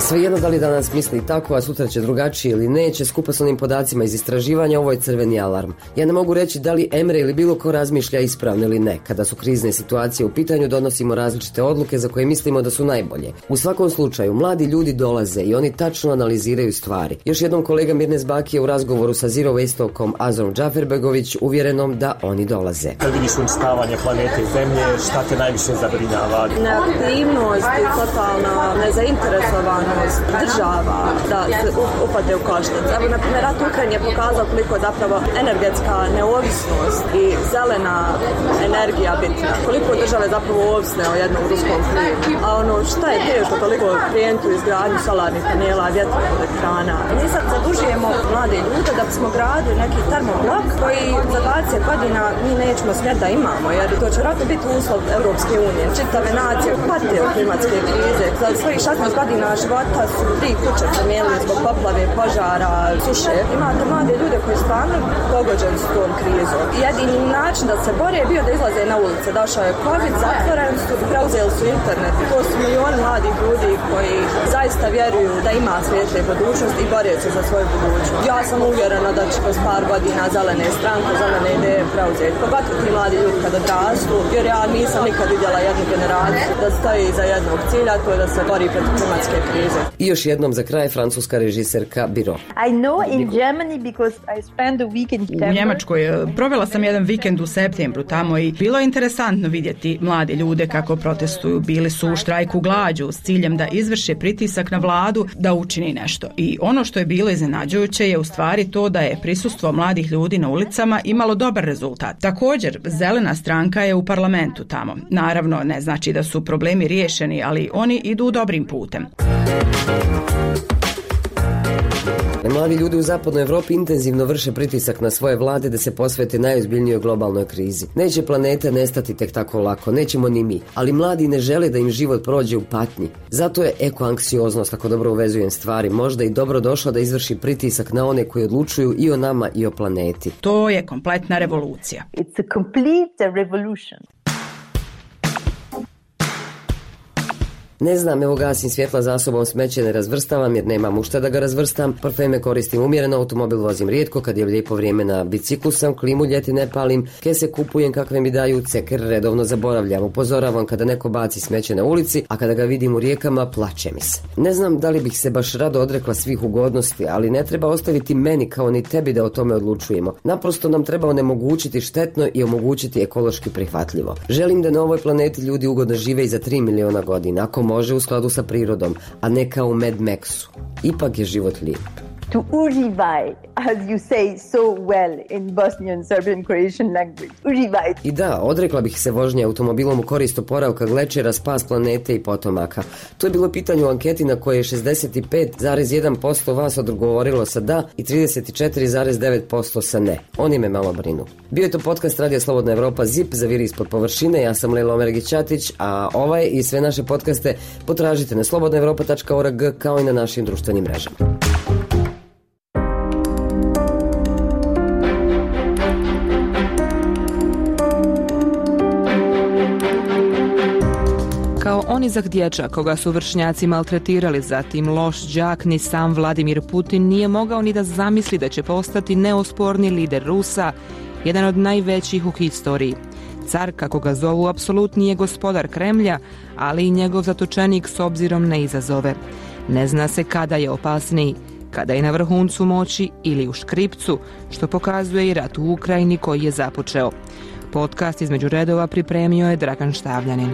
Speaker 1: Svejedno da li danas misli tako, a sutra će drugačije ili neće, skupa s onim podacima iz istraživanja, ovo je crveni alarm. Ja ne mogu reći da li Emre ili bilo ko razmišlja ispravno ili ne. Kada su krizne situacije u pitanju, donosimo različite odluke za koje mislimo da su najbolje. U svakom slučaju, mladi ljudi dolaze i oni tačno analiziraju stvari. Još jednom kolega Mirnes Baki je u razgovoru sa Zero Waste-ovkom Azrom Džaferbegović uvjerenom da oni dolaze.
Speaker 12: Kad vidiš uništavanje planete Zemlje, šta te najviše zabrinjava?
Speaker 13: Neaktivnost i totalna nezainteresovanost država da se upade u koštac. Evo, na primjer, rat u Ukrajini je pokazao koliko je zapravo energetska neovisnost i zelena energija bitna. Koliko države zapravo ovisne o jednom ruskom plinu. A šta je teško toliko klijentu izgradnju solarnih panela, vjetroelektrana. Mi sad zadužujemo mlade ljude da bismo gradili neki termoblok koji za 20 godina mi nećemo smjeti da imamo, jer to će vjerojatno biti uslov Europske unije. Čitave nacije pate od klimatske krize. Za svojih 16 godina života su 3 kuće promijenili zbog poplave, požara, suše. Imate mlade ljude koji stvarno pogođeni s tom krizom. Jedini način da se bore je bio da izlaze na ulice. Došao je COVID, zatvoreni su, preuzeli su internet. To su milioni mladih ljudi koji zaista vjeruju da ima svijetle budućnosti i bore se za svoju budućnost. Ja sam uvjerena da će kroz par godina zelene stranke, zelene ideje preuzeti. Pogotovo ti mladi ljudi kada odrastu, jer ja nisam nikad vidjela jednu generaciju da stoji iza jednog cilja, to je da se bori protiv klimatske krize.
Speaker 1: I još jednom za kraj francuska režiserka Biro.
Speaker 4: U Njemačkoj provela sam jedan vikend u septembru tamo i bilo je interesantno vidjeti mlade ljude kako protestuju. Bili su u štrajku glađu s ciljem da izvrše pritisak na vladu da učini nešto. I ono što je bilo iznenađujuće je u stvari to da je prisustvo mladih ljudi na ulicama imalo dobar rezultat. Također, zelena stranka je u parlamentu tamo. Naravno, ne znači da su problemi riješeni, ali oni idu dobrim putem.
Speaker 1: Mladi ljudi u zapadnoj Evropi intenzivno vrše pritisak na svoje vlade da se posvete najozbiljnijoj globalnoj krizi. Neće planeta nestati tek tako lako, nećemo ni mi, ali mladi ne žele da im život prođe u patnji. Zato je ekoanksioznost, ako dobro uvezujem stvari, možda i dobro došla da izvrši pritisak na one koji odlučuju i o nama i o planeti.
Speaker 4: To je kompletna revolucija.
Speaker 3: It's a complete revolution.
Speaker 1: Ne znam, evo gasim svjetla za sobom, smeće ne razvrstavam jer nemam u šta da ga razvrstam, parfeme koristim umjereno, automobil vozim rijetko, kad je lijepo vrijeme na biciklu sam, klimu ljeti ne palim, kese kupujem kakve mi daju, ceker redovno zaboravljam, upozoravam kada neko baci smeće na ulici, a kada ga vidim u rijekama plače mi se. Ne znam da li bih se baš rado odrekla svih ugodnosti, ali ne treba ostaviti meni kao ni tebi da o tome odlučujemo. Naprosto nam treba onemogućiti štetno i omogućiti ekološki prihvatljivo. Želim da na ovoj planeti ljudi ugodno žive i za 3 miliona godina, ako može u skladu sa prirodom, a ne kao u Mad Maxu. Ipak je život lijep.
Speaker 3: To uživaj, as you say so well in Bosnian, Serbian, Croatian language. Uživaj.
Speaker 1: I da, odrekla bih se vožnje automobilom u korist oporavka glečera, spas planete i potomaka. To je bilo pitanje u anketi na koje je 65,1% vas odgovorilo sa da i 34,9% sa ne. Oni me malo brinu. Bio je to podcast Radio Slobodna Evropa ZIP za Viri ispod površine. Ja sam Lelo Omergić-Ćatić, a ovaj i sve naše podcaste potražite na slobodnaevropa.org kao i na našim društvenim mrežama.
Speaker 20: Kao onizak dječak koga su vršnjaci maltretirali, zatim loš đak, ni sam Vladimir Putin nije mogao ni da zamisli da će postati neosporni lider Rusa, jedan od najvećih u historiji. Car, kako ga zovu, apsolutni je gospodar Kremlja, ali i njegov zatočenik s obzirom na izazove. Ne zna se kada je opasniji, kada je na vrhuncu moći ili u škripcu, što pokazuje i rat u Ukrajini koji je započeo. Podcast između redova pripremio je Dragan Štavljanin.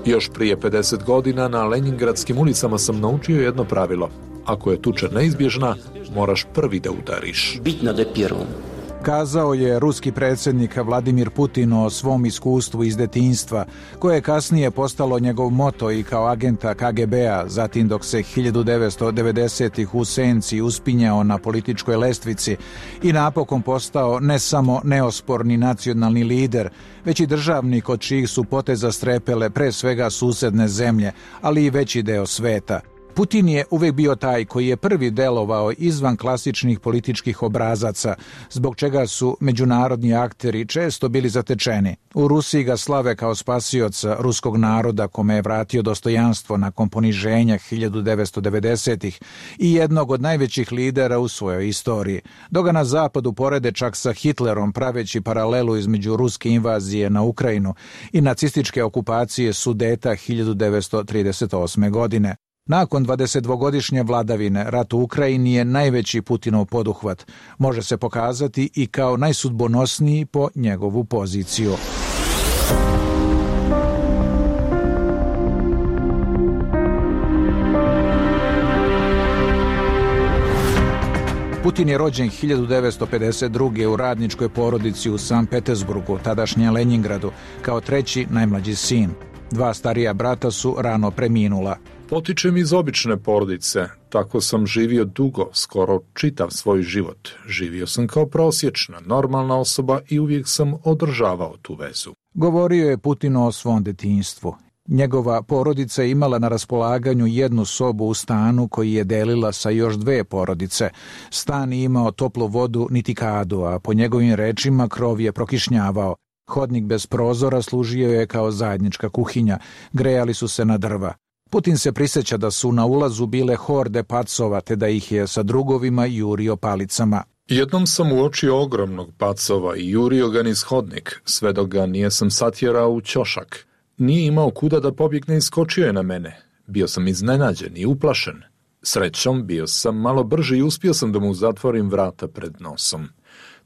Speaker 21: Još prije 50 godina na Leningradskim ulicama sam naučio jedno pravilo. Ako je tuča neizbježna, moraš prvi da udariš.
Speaker 22: Kazao je ruski predsjednik Vladimir Putin o svom iskustvu iz detinjstva, koje je kasnije postalo njegov moto i kao agenta KGB-a, zatim dok se 1990-ih u senci uspinjao na političkoj lestvici i napokon postao ne samo neosporni nacionalni lider, već i državnik od čijih su poteza strepele pre svega susedne zemlje, ali i veći deo sveta. Putin je uvijek bio taj koji je prvi delovao izvan klasičnih političkih obrazaca, zbog čega su međunarodni akteri često bili zatečeni. U Rusiji ga slave kao spasioca ruskog naroda kome je vratio dostojanstvo nakon poniženja 1990-ih i jednog od najvećih lidera u svojoj istoriji. Dok ga na zapadu porede čak sa Hitlerom, praveći paralelu između ruske invazije na Ukrajinu i nacističke okupacije Sudeta 1938. godine. Nakon 22-godišnje vladavine, rat u Ukrajini je najveći Putinov poduhvat. Može se pokazati i kao najsudbonosniji po njegovu poziciju. Putin je rođen 1952. u radničkoj porodici u Sankt Petersburgu, tadašnjem Leningradu, kao treći najmlađi sin. Dva starija brata su rano preminula.
Speaker 21: Potičem iz obične porodice, tako sam živio dugo, skoro čitav svoj život. Živio sam kao prosječna, normalna osoba i uvijek sam održavao tu vezu.
Speaker 22: Govorio je Putin o svom detinjstvu. Njegova porodica je imala na raspolaganju jednu sobu u stanu koji je delila sa još dve porodice. Stan je imao toplu vodu niti kadu, a po njegovim rečima krov je prokišnjavao. Hodnik bez prozora služio je kao zajednička kuhinja, grejali su se na drva. Putin se prisjeća da su na ulazu bile horde pacova, te da ih je sa drugovima jurio palicama.
Speaker 21: Jednom sam uočio ogromnog pacova i jurio ga niz hodnik, sve dok ga nijesam satjerao u ćošak. Nije imao kuda da pobjegne i skočio je na mene. Bio sam iznenađen i uplašen. Srećom, bio sam malo brži i uspio sam da mu zatvorim vrata pred nosom.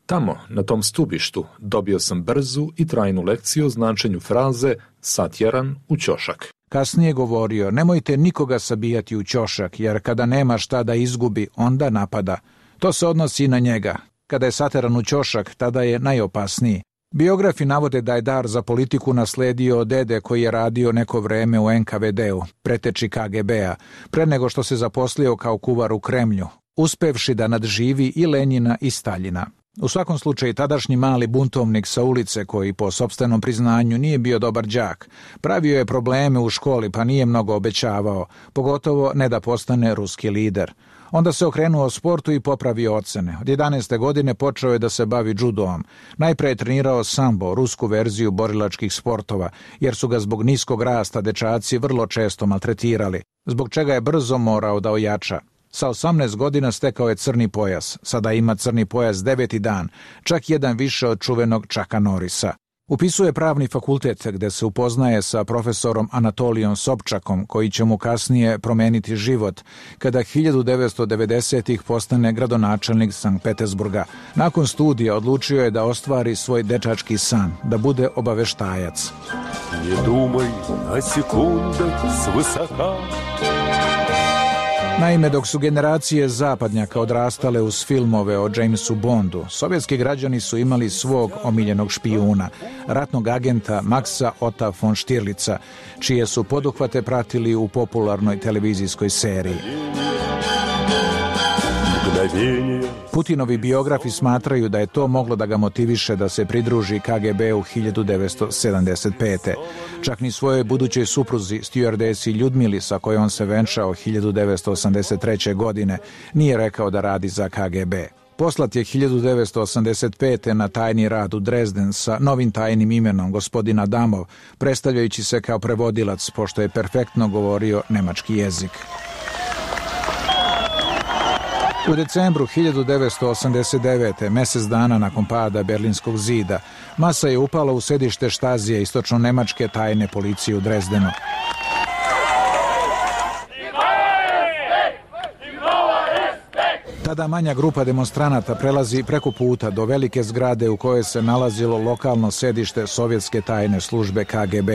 Speaker 21: Tamo, na tom stubištu, dobio sam brzu i trajnu lekciju o značenju fraze satjeran u ćošak.
Speaker 22: Kasnije govorio, nemojte nikoga sabijati u ćošak, jer kada nema šta da izgubi, onda napada. To se odnosi i na njega. Kada je sateran u ćošak, tada je najopasniji. Biografi navode da je dar za politiku nasledio od dede koji je radio neko vreme u NKVD-u, preteči KGB-a, pre nego što se zaposlio kao kuvar u Kremlju, uspevši da nadživi i Lenjina i Staljina. U svakom slučaju, tadašnji mali buntovnik sa ulice, koji po sopstvenom priznanju nije bio dobar đak, pravio je probleme u školi pa nije mnogo obećavao, pogotovo ne da postane ruski lider. Onda se okrenuo sportu i popravio ocene. Od 11. godine počeo je da se bavi judoom. Najpre je trenirao sambo, rusku verziju borilačkih sportova, jer su ga zbog niskog rasta dečaci vrlo često maltretirali, zbog čega je brzo morao da ojača. Sa 18 godina stekao je crni pojas. Sada ima crni pojas 9. dan, čak jedan više od čuvenog Chucka Norrisa. Upisuje pravni fakultet gde se upoznaje sa profesorom Anatolijom Sobčakom, koji će mu kasnije promeniti život, kada 1990-ih postane gradonačelnik Sankt Petersburga. Nakon studija odlučio je da ostvari svoj dečački san, da bude obaveštajac.
Speaker 5: Ne dumaj na sekundak svisoka.
Speaker 22: Naime, dok su generacije zapadnjaka odrastale uz filmove o Jamesu Bondu, sovjetski građani su imali svog omiljenog špijuna, ratnog agenta Maxa Otta von Stirlica, čije su poduhvate pratili u popularnoj televizijskoj seriji. Putinovi biografi smatraju da je to moglo da ga motiviše da se pridruži KGB-u 1975. Čak ni svojoj budućoj supruzi, stjuardesi Ljudmili, sa kojom se venčao 1983. godine, nije rekao da radi za KGB. Poslat je 1985. na tajni rad u Dresden sa novim tajnim imenom gospodin Adamov, predstavljajući se kao prevodilac, pošto je perfektno govorio nemački jezik. U decembru 1989. mjesec dana nakon pada Berlinskog zida, masa je upala u sedište Štazije istočno-nemačke tajne policije u Dresdenu. Tada manja grupa demonstranata prelazi preko puta do velike zgrade u kojoj se nalazilo lokalno sedište sovjetske tajne službe KGB.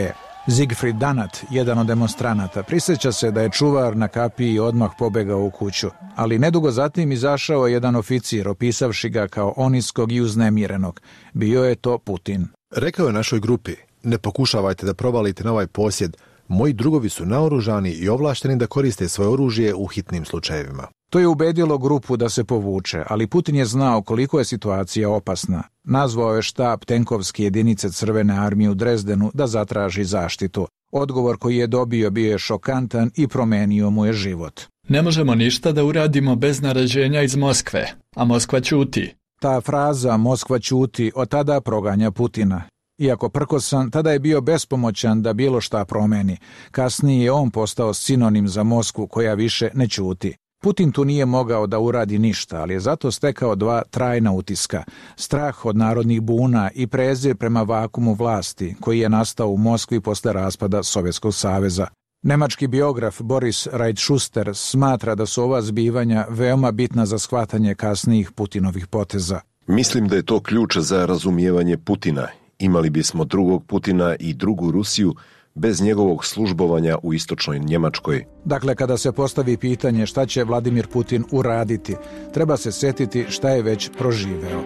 Speaker 22: Siegfried Danat, jedan od demonstranata, prisjeća se da je čuvar na kapiji odmah pobegao u kuću, ali nedugo zatim izašao jedan oficir, opisavši ga kao oniskog i uznemirenog. Bio je to Putin.
Speaker 7: Rekao je našoj grupi, ne pokušavajte da provalite na ovaj posjed, moji drugovi su naoružani i ovlašteni da koriste svoje oružje u hitnim slučajevima.
Speaker 22: To je ubedilo grupu da se povuče, ali Putin je znao koliko je situacija opasna. Nazvao je štab tenkovske jedinice Crvene armije u Dresdenu da zatraži zaštitu. Odgovor koji je dobio bio je šokantan i promenio mu je život.
Speaker 23: Ne možemo ništa da uradimo bez naređenja iz Moskve, a Moskva ćuti.
Speaker 22: Ta fraza Moskva ćuti od tada proganja Putina. Iako prkosan, tada je bio bespomoćan da bilo šta promeni. Kasnije je on postao sinonim za Moskvu koja više ne ćuti. Putin tu nije mogao da uradi ništa, ali je zato stekao dva trajna utiska. Strah od narodnih buna i prezir prema vakumu vlasti, koji je nastao u Moskvi posle raspada Sovjetskog saveza. Nemački biograf Boris Reitschuster smatra da su ova zbivanja veoma bitna za shvatanje kasnijih Putinovih poteza.
Speaker 24: Mislim da je to ključ za razumijevanje Putina. Imali bismo drugog Putina i drugu Rusiju bez njegovog službovanja u istočnoj Njemačkoj.
Speaker 22: Dakle, kada se postavi pitanje šta će Vladimir Putin uraditi, treba se setiti šta je već proživeo.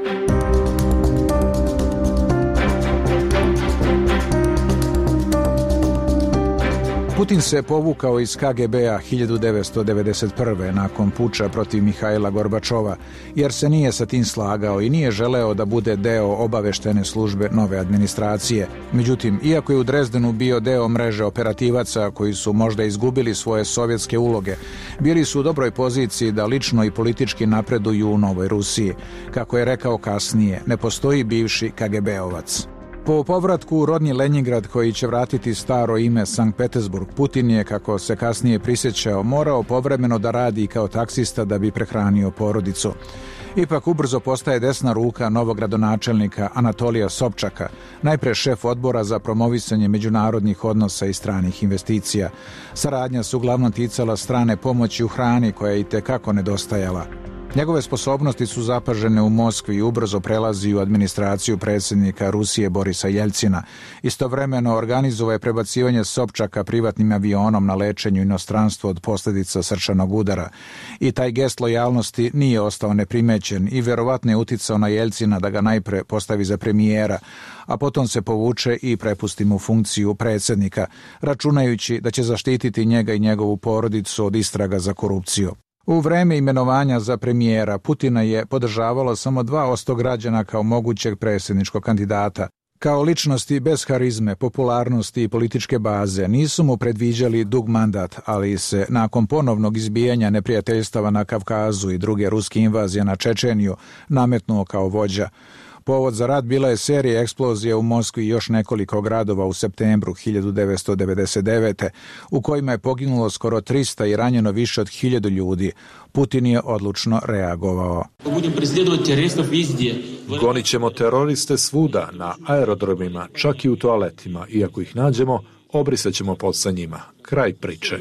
Speaker 22: Putin se povukao iz KGB-a 1991. nakon puča protiv Mihajla Gorbačova, jer se nije sa tim slagao i nije želeo da bude deo obaveštene službe nove administracije. Međutim, iako je u Dresdenu bio deo mreže operativaca koji su možda izgubili svoje sovjetske uloge, bili su u dobroj poziciji da lično i politički napreduju u Novoj Rusiji. Kako je rekao kasnije, ne postoji bivši KGB-ovac. Po povratku u rodni Leningrad, koji će vratiti staro ime Sankt Petersburg, Putin je, kako se kasnije prisjećao, morao povremeno da radi kao taksista da bi prehranio porodicu. Ipak ubrzo postaje desna ruka novog gradonačelnika Anatolija Sobčaka, najpre šef odbora za promovisanje međunarodnih odnosa i stranih investicija. Saradnja se uglavnom ticala strane pomoći u hrani, koja je itekako nedostajala. Njegove sposobnosti su zapažene u Moskvi i ubrzo prelazi u administraciju predsjednika Rusije Borisa Jeljcina. Istovremeno organizovao je prebacivanje Sobčaka privatnim avionom na lečenju inostranstvo od posljedica srčanog udara. I taj gest lojalnosti nije ostao neprimećen i vjerovatno je uticao na Jeljcina da ga najpre postavi za premijera, a potom se povuče i prepusti mu funkciju predsjednika, računajući da će zaštititi njega i njegovu porodicu od istraga za korupciju. U vreme imenovanja za premijera Putina je podržavalo samo 2% građana kao mogućeg predsjedničkog kandidata. Kao ličnosti bez harizme, popularnosti i političke baze nisu mu predviđali dug mandat, ali se nakon ponovnog izbijanja neprijateljstava na Kavkazu i druge ruske invazije na Čečeniju nametnuo kao vođa. Povod za rat bila je serija eksplozija u Moskvi i još nekoliko gradova u septembru 1999. u kojima je poginulo skoro 300 i ranjeno više od 1000 ljudi. Putin je odlučno reagovao.
Speaker 21: Gonit ćemo teroriste svuda, na aerodromima, čak i u toaletima. Iako ih nađemo, obrisat ćemo pod sa njima. Kraj priče.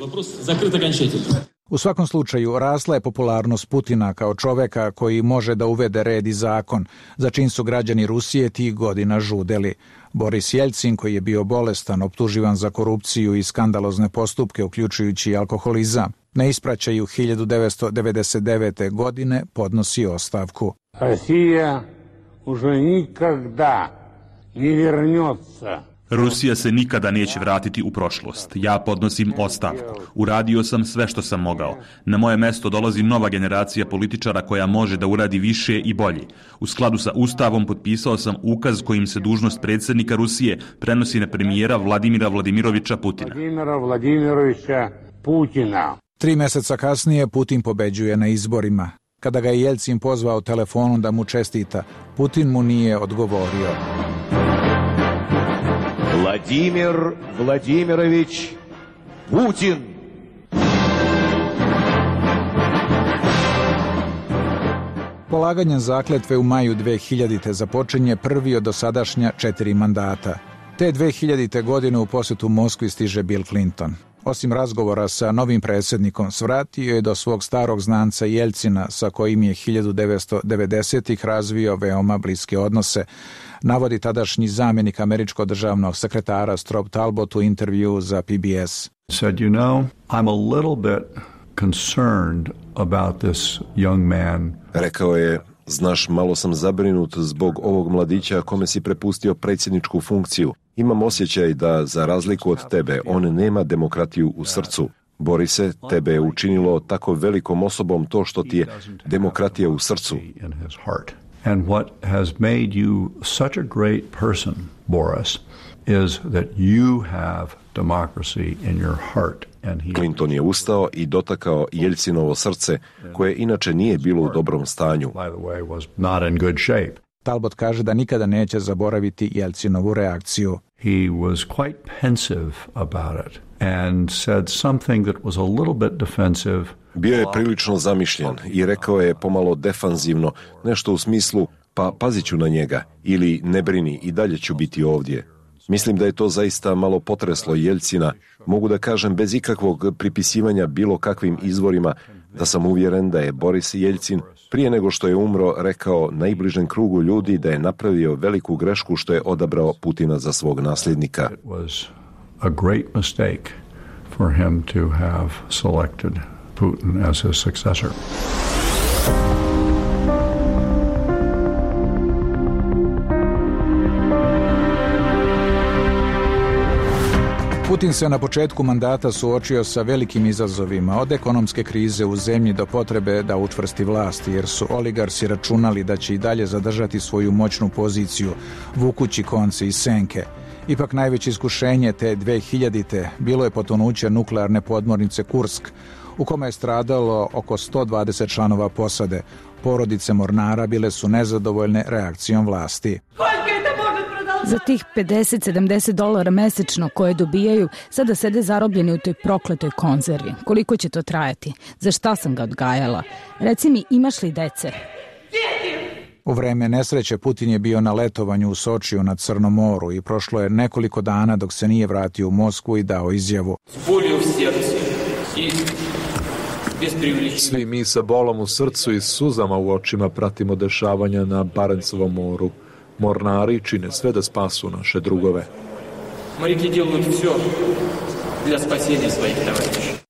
Speaker 22: U svakom slučaju, rasla je popularnost Putina kao čoveka koji može da uvede red i zakon, za čim su građani Rusije tih godina žudeli. Boris Jeljcin, koji je bio bolestan, optuživan za korupciju i skandalozne postupke, uključujući i alkoholizam, na ispraćaju 1999. godine podnosi ostavku.
Speaker 6: Rusija уже никогда не вернется.
Speaker 8: Rusija se nikada neće vratiti u prošlost. Ja podnosim ostavku. Uradio sam sve što sam mogao. Na moje mesto dolazi nova generacija političara koja može da uradi više i bolje. U skladu sa Ustavom potpisao sam ukaz kojim se dužnost predsjednika Rusije prenosi na premijera Vladimira Vladimirovića Putina.
Speaker 22: 3 mjeseca kasnije Putin pobeđuje na izborima. Kada ga je Jeljcin pozvao telefonom da mu čestita, Putin mu nije odgovorio.
Speaker 9: Vladimir Vladimirović Putin.
Speaker 22: Polaganjem zakletve u maju 2000. započinje prvi od dosadašnja 4 mandata. Te 2000. godine u posjetu Moskvi stiže Bill Clinton. Osim razgovora sa novim predsjednikom, svratio je do svog starog znanca Jeljcina, sa kojim je 1990-ih razvio veoma bliske odnose, navodi tadašnji zamjenik američkog državnog sekretara Strobe Talbot u intervju za PBS.
Speaker 14: Said, you know, I'm a little bit concerned about this young man.
Speaker 24: Rekao je, znaš, malo sam zabrinut zbog ovog mladića kome si prepustio predsjedničku funkciju. Imam osjećaj da, za razliku od tebe, on nema demokratiju u srcu. Borise, tebe je učinilo tako velikom osobom to što ti je demokratija u srcu.
Speaker 14: And what has made you such a great person, Boris, is that you have democracy in your heart.
Speaker 24: Clinton je ustao i dotakao Jeljcinovo srce, koje inače nije bilo u dobrom stanju.
Speaker 22: Talbot kaže da nikada neće zaboraviti Jeljcinovu reakciju.
Speaker 14: He was quite pensive about it and said something that was a little bit defensive.
Speaker 24: Bio je prilično zamišljen i rekao je pomalo defanzivno, nešto u smislu, pa pazit ću na njega, ili ne brini, i dalje ću biti ovdje. Mislim da je to zaista malo potreslo Jeljcina. Mogu da kažem bez ikakvog pripisivanja bilo kakvim izvorima da sam uvjeren da je Boris Jeljcin prije nego što je umro rekao najbližem krugu ljudi da je napravio veliku grešku što je odabrao Putina za svog nasljednika.
Speaker 14: It was a great mistake for him to have selected Putin as his successor.
Speaker 22: Putin se na početku mandata suočio sa velikim izazovima, od ekonomske krize u zemlji do potrebe da učvrsti vlast, jer su oligarsi računali da će i dalje zadržati svoju moćnu poziciju, vukući konce i senke. Ipak najveće iskušenje te 2000. bilo je potonuće nuklearne podmornice Kursk, u kome je stradalo oko 120 članova posade. Porodice mornara bile su nezadovoljne reakcijom vlasti.
Speaker 25: Za tih $50-70 mesečno koje dobijaju, sada sede zarobljeni u toj prokletoj konzervi. Koliko će to trajati? Za šta sam ga odgajala? Reci mi, imaš li dece?
Speaker 22: U vreme nesreće Putin je bio na letovanju u Sočiju na Crnom moru i prošlo je nekoliko dana dok se nije vratio u Moskvu i dao izjavu.
Speaker 21: Svi mi sa bolom u srcu i suzama u očima pratimo dešavanja na Barencovom moru. Mornari čine sve da spasu naše drugove.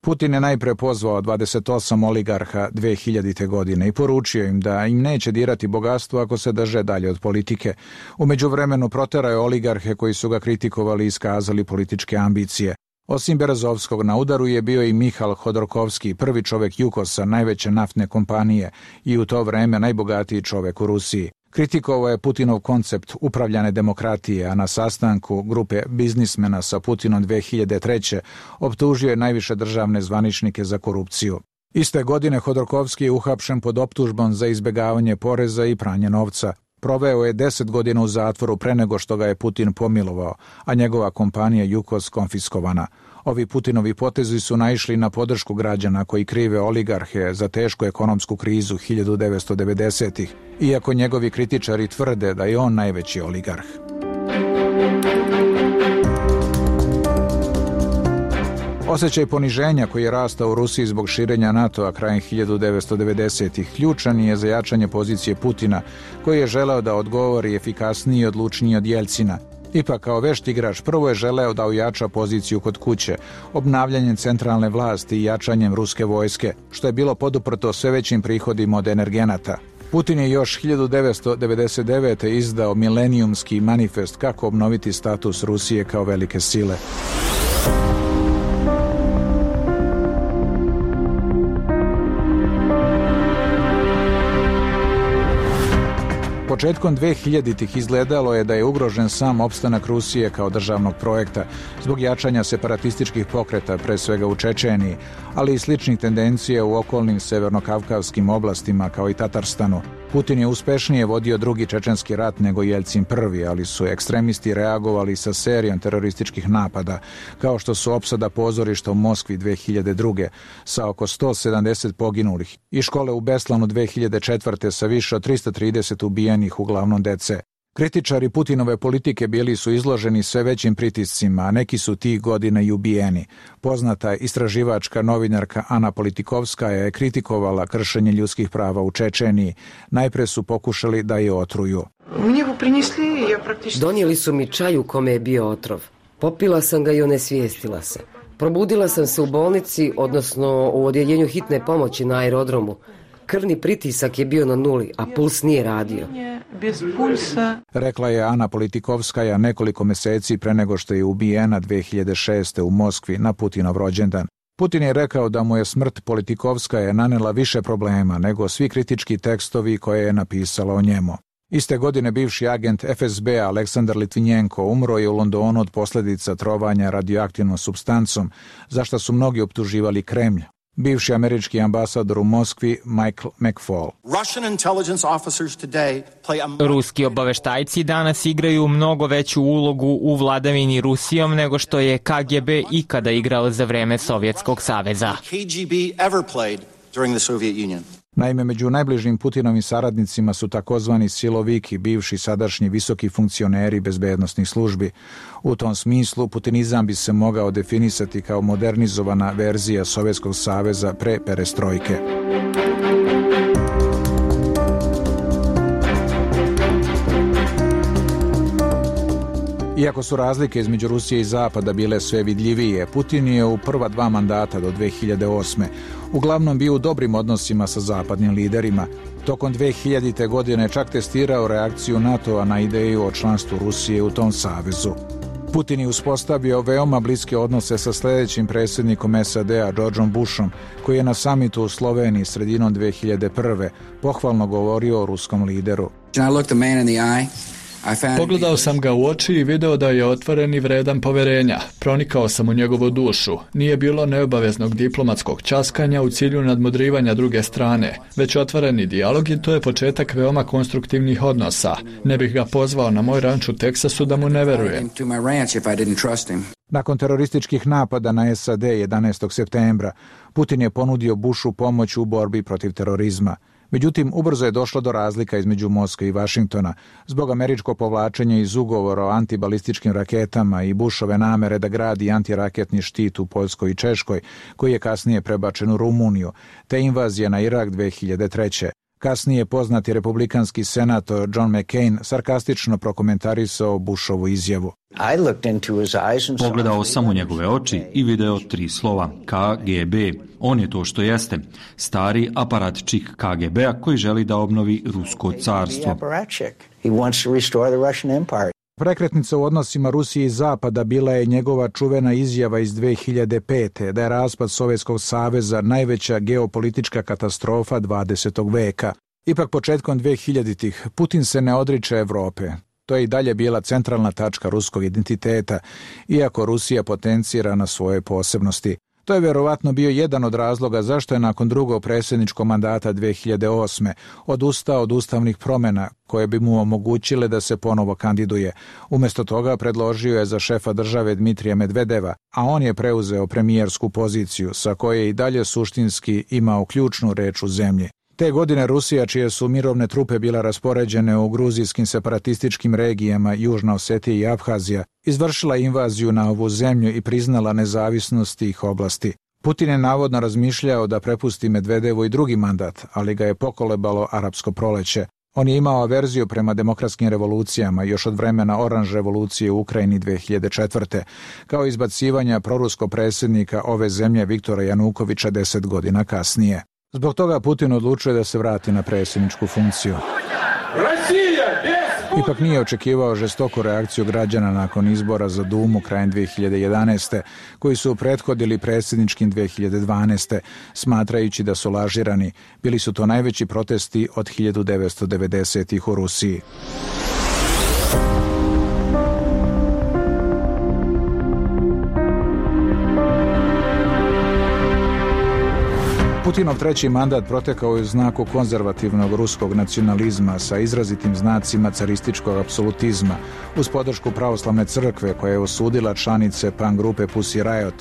Speaker 22: Putin je najpre pozvao 28 oligarha 2000. godine i poručio im da im neće dirati bogatstvo ako se drže dalje od politike. U međuvremenu proterao je oligarhe koji su ga kritikovali i iskazali političke ambicije. Osim Berezovskog, na udaru je bio i Mihal Hodorkovski, prvi čovjek Jukosa, najveće naftne kompanije i u to vreme najbogatiji čovjek u Rusiji. Kritikovao je Putinov koncept upravljane demokratije, a na sastanku grupe biznismena sa Putinom 2003. optužio je najviše državne zvaničnike za korupciju. Iste godine Hodorkovski je uhapšen pod optužbom za izbjegavanje poreza i pranje novca. Proveo je 10 godina u zatvoru pre nego što ga je Putin pomilovao, a njegova kompanija Jukos konfiskovana. Ovi Putinovi potezi su naišli na podršku građana koji krive oligarhe za tešku ekonomsku krizu 1990-ih, iako njegovi kritičari tvrde da je on najveći oligarh. Osjećaj poniženja koji je rastao u Rusiji zbog širenja NATO-a krajem 1990-ih ključan je za jačanje pozicije Putina, koji je želeo da odgovori efikasniji i odlučniji od Jeljcina. Ipak, kao vešt igrač, prvo je želeo da ojača poziciju kod kuće, obnavljanjem centralne vlasti i jačanjem ruske vojske, što je bilo poduprto sve većim prihodima od energenata. Putin je još 1999. izdao milenijumski manifest kako obnoviti status Rusije kao velike sile. Početkom 2000-ih izgledalo je da je ugrožen sam opstanak Rusije kao državnog projekta zbog jačanja separatističkih pokreta, pre svega u Čečeniji, ali i sličnih tendencija u okolnim severnokavkavskim oblastima kao i Tatarstanu. Putin je uspešnije vodio drugi čečenski rat nego Jeljcin prvi, ali su ekstremisti reagovali sa serijom terorističkih napada, kao što su opsada pozorišta u Moskvi 2002. sa oko 170 poginulih i škole u Beslanu 2004. sa više od 330 ubijenih, uglavnom dece. Kritičari Putinove politike bili su izloženi sve većim pritiscima, a neki su tih godina i ubijeni. Poznata istraživačka novinarka Ana Politikovskaja je kritikovala kršenje ljudskih prava u Čečeniji. Najpre su pokušali da je otruju.
Speaker 1: Donijeli su mi čaj u kome je bio otrov. Popila sam ga i onesvijestila se. Probudila sam se u bolnici, odnosno u odjeljenju hitne pomoći na aerodromu. Krvni pritisak je bio na nuli, a puls nije radio.
Speaker 22: Rekla je Ana Politikovskaja nekoliko meseci pre nego što je ubijena 2006. u Moskvi na Putinov rođendan. Putin je rekao da mu je smrt Politikovskaje nanela više problema nego svi kritički tekstovi koje je napisala o njemu. Iste godine bivši agent FSB Aleksandar Litvinjenko umro je u Londonu od posljedica trovanja radioaktivnom supstancom, za što su mnogi optuživali Kremlj. Bivši američki ambasador u Moskvi Michael McFaul.
Speaker 2: Ruski obaveštajci danas igraju mnogo veću ulogu u vladavini Rusijom nego što je KGB ikada igrao za vreme Sovjetskog saveza.
Speaker 22: Naime, među najbližim Putinovim saradnicima su takozvani siloviki, bivši sadašnji visoki funkcioneri bezbednosnih službi. U tom smislu, putinizam bi se mogao definisati kao modernizovana verzija Sovjetskog saveza pre perestrojke. Iako su razlike između Rusije i Zapada bile sve vidljivije, Putin je u prva 2 mandata do 2008. uglavnom bio u dobrim odnosima sa zapadnim liderima. Tokom 2000. godine čak testirao reakciju NATO-a na ideju o članstvu Rusije u tom savezu. Putin je uspostavio veoma bliske odnose sa sljedećim predsjednikom SAD-a Georgeom Bushom, koji je na samitu u Sloveniji sredinom 2001. pohvalno govorio o ruskom lideru.
Speaker 23: Pogledao sam ga u oči i video da je otvoren i vredan poverenja. Pronikao sam u njegovu dušu. Nije bilo neobaveznog diplomatskog časkanja u cilju nadmudrivanja druge strane, već otvoreni dijalog i to je početak veoma konstruktivnih odnosa. Ne bih ga pozvao na moj ranč u Teksasu da mu ne verujem.
Speaker 22: Nakon terorističkih napada na SAD 11. septembra, Putin je ponudio Bushu pomoć u borbi protiv terorizma. Međutim, ubrzo je došlo do razlika između Moskve i Vašingtona zbog američkog povlačenja iz ugovora o antibalističkim raketama i Bushove namere da gradi antiraketni štit u Poljskoj i Češkoj, koji je kasnije prebačen u Rumuniju, te invazije na Irak 2003. Kasnije poznati republikanski senator John McCain sarkastično prokomentarisao Bushovu izjavu.
Speaker 8: Pogledao sam u njegove oči i video 3 slova KGB. On je to što jeste, stari aparatčik KGB-a koji želi da obnovi Rusko carstvo.
Speaker 22: Prekretnica u odnosima Rusije i Zapada bila je njegova čuvena izjava iz 2005. da je raspad Sovjetskog saveza najveća geopolitička katastrofa 20. veka. Ipak početkom 2000-ih Putin se ne odriče Evrope. To je i dalje bila centralna tačka ruskog identiteta, iako Rusija potencira na svoje posebnosti. To je vjerovatno bio jedan od razloga zašto je nakon drugog predsjedničkog mandata 2008. odustao od ustavnih promjena koje bi mu omogućile da se ponovo kandiduje. Umjesto toga predložio je za šefa države Dmitrija Medvedeva, a on je preuzeo premijersku poziciju sa koje je i dalje suštinski imao ključnu reč u zemlji. Te godine Rusija, čije su mirovne trupe bila raspoređene u gruzijskim separatističkim regijama Južna Osetija i Abhazija, izvršila invaziju na ovu zemlju i priznala nezavisnost tih oblasti. Putin je navodno razmišljao da prepusti Medvedevu i drugi mandat, ali ga je pokolebalo arapsko proleće. On je imao averziju prema demokratskim revolucijama još od vremena Oranž revolucije u Ukrajini 2004. kao izbacivanja proruskog predsjednika ove zemlje Viktora Janukovića 10 godina kasnije. Zbog toga Putin odlučuje da se vrati na predsjedničku funkciju. Ipak nije očekivao žestoku reakciju građana nakon izbora za Dumu krajem 2011. koji su prethodili predsjedničkim 2012. smatrajući da su lažirani. Bili su to najveći protesti od 1990-ih u Rusiji. Putinov treći mandat protekao je u znaku konzervativnog ruskog nacionalizma sa izrazitim znacima carističkog apsolutizma uz podršku pravoslavne crkve koja je osudila članice punk grupe Pussy Riot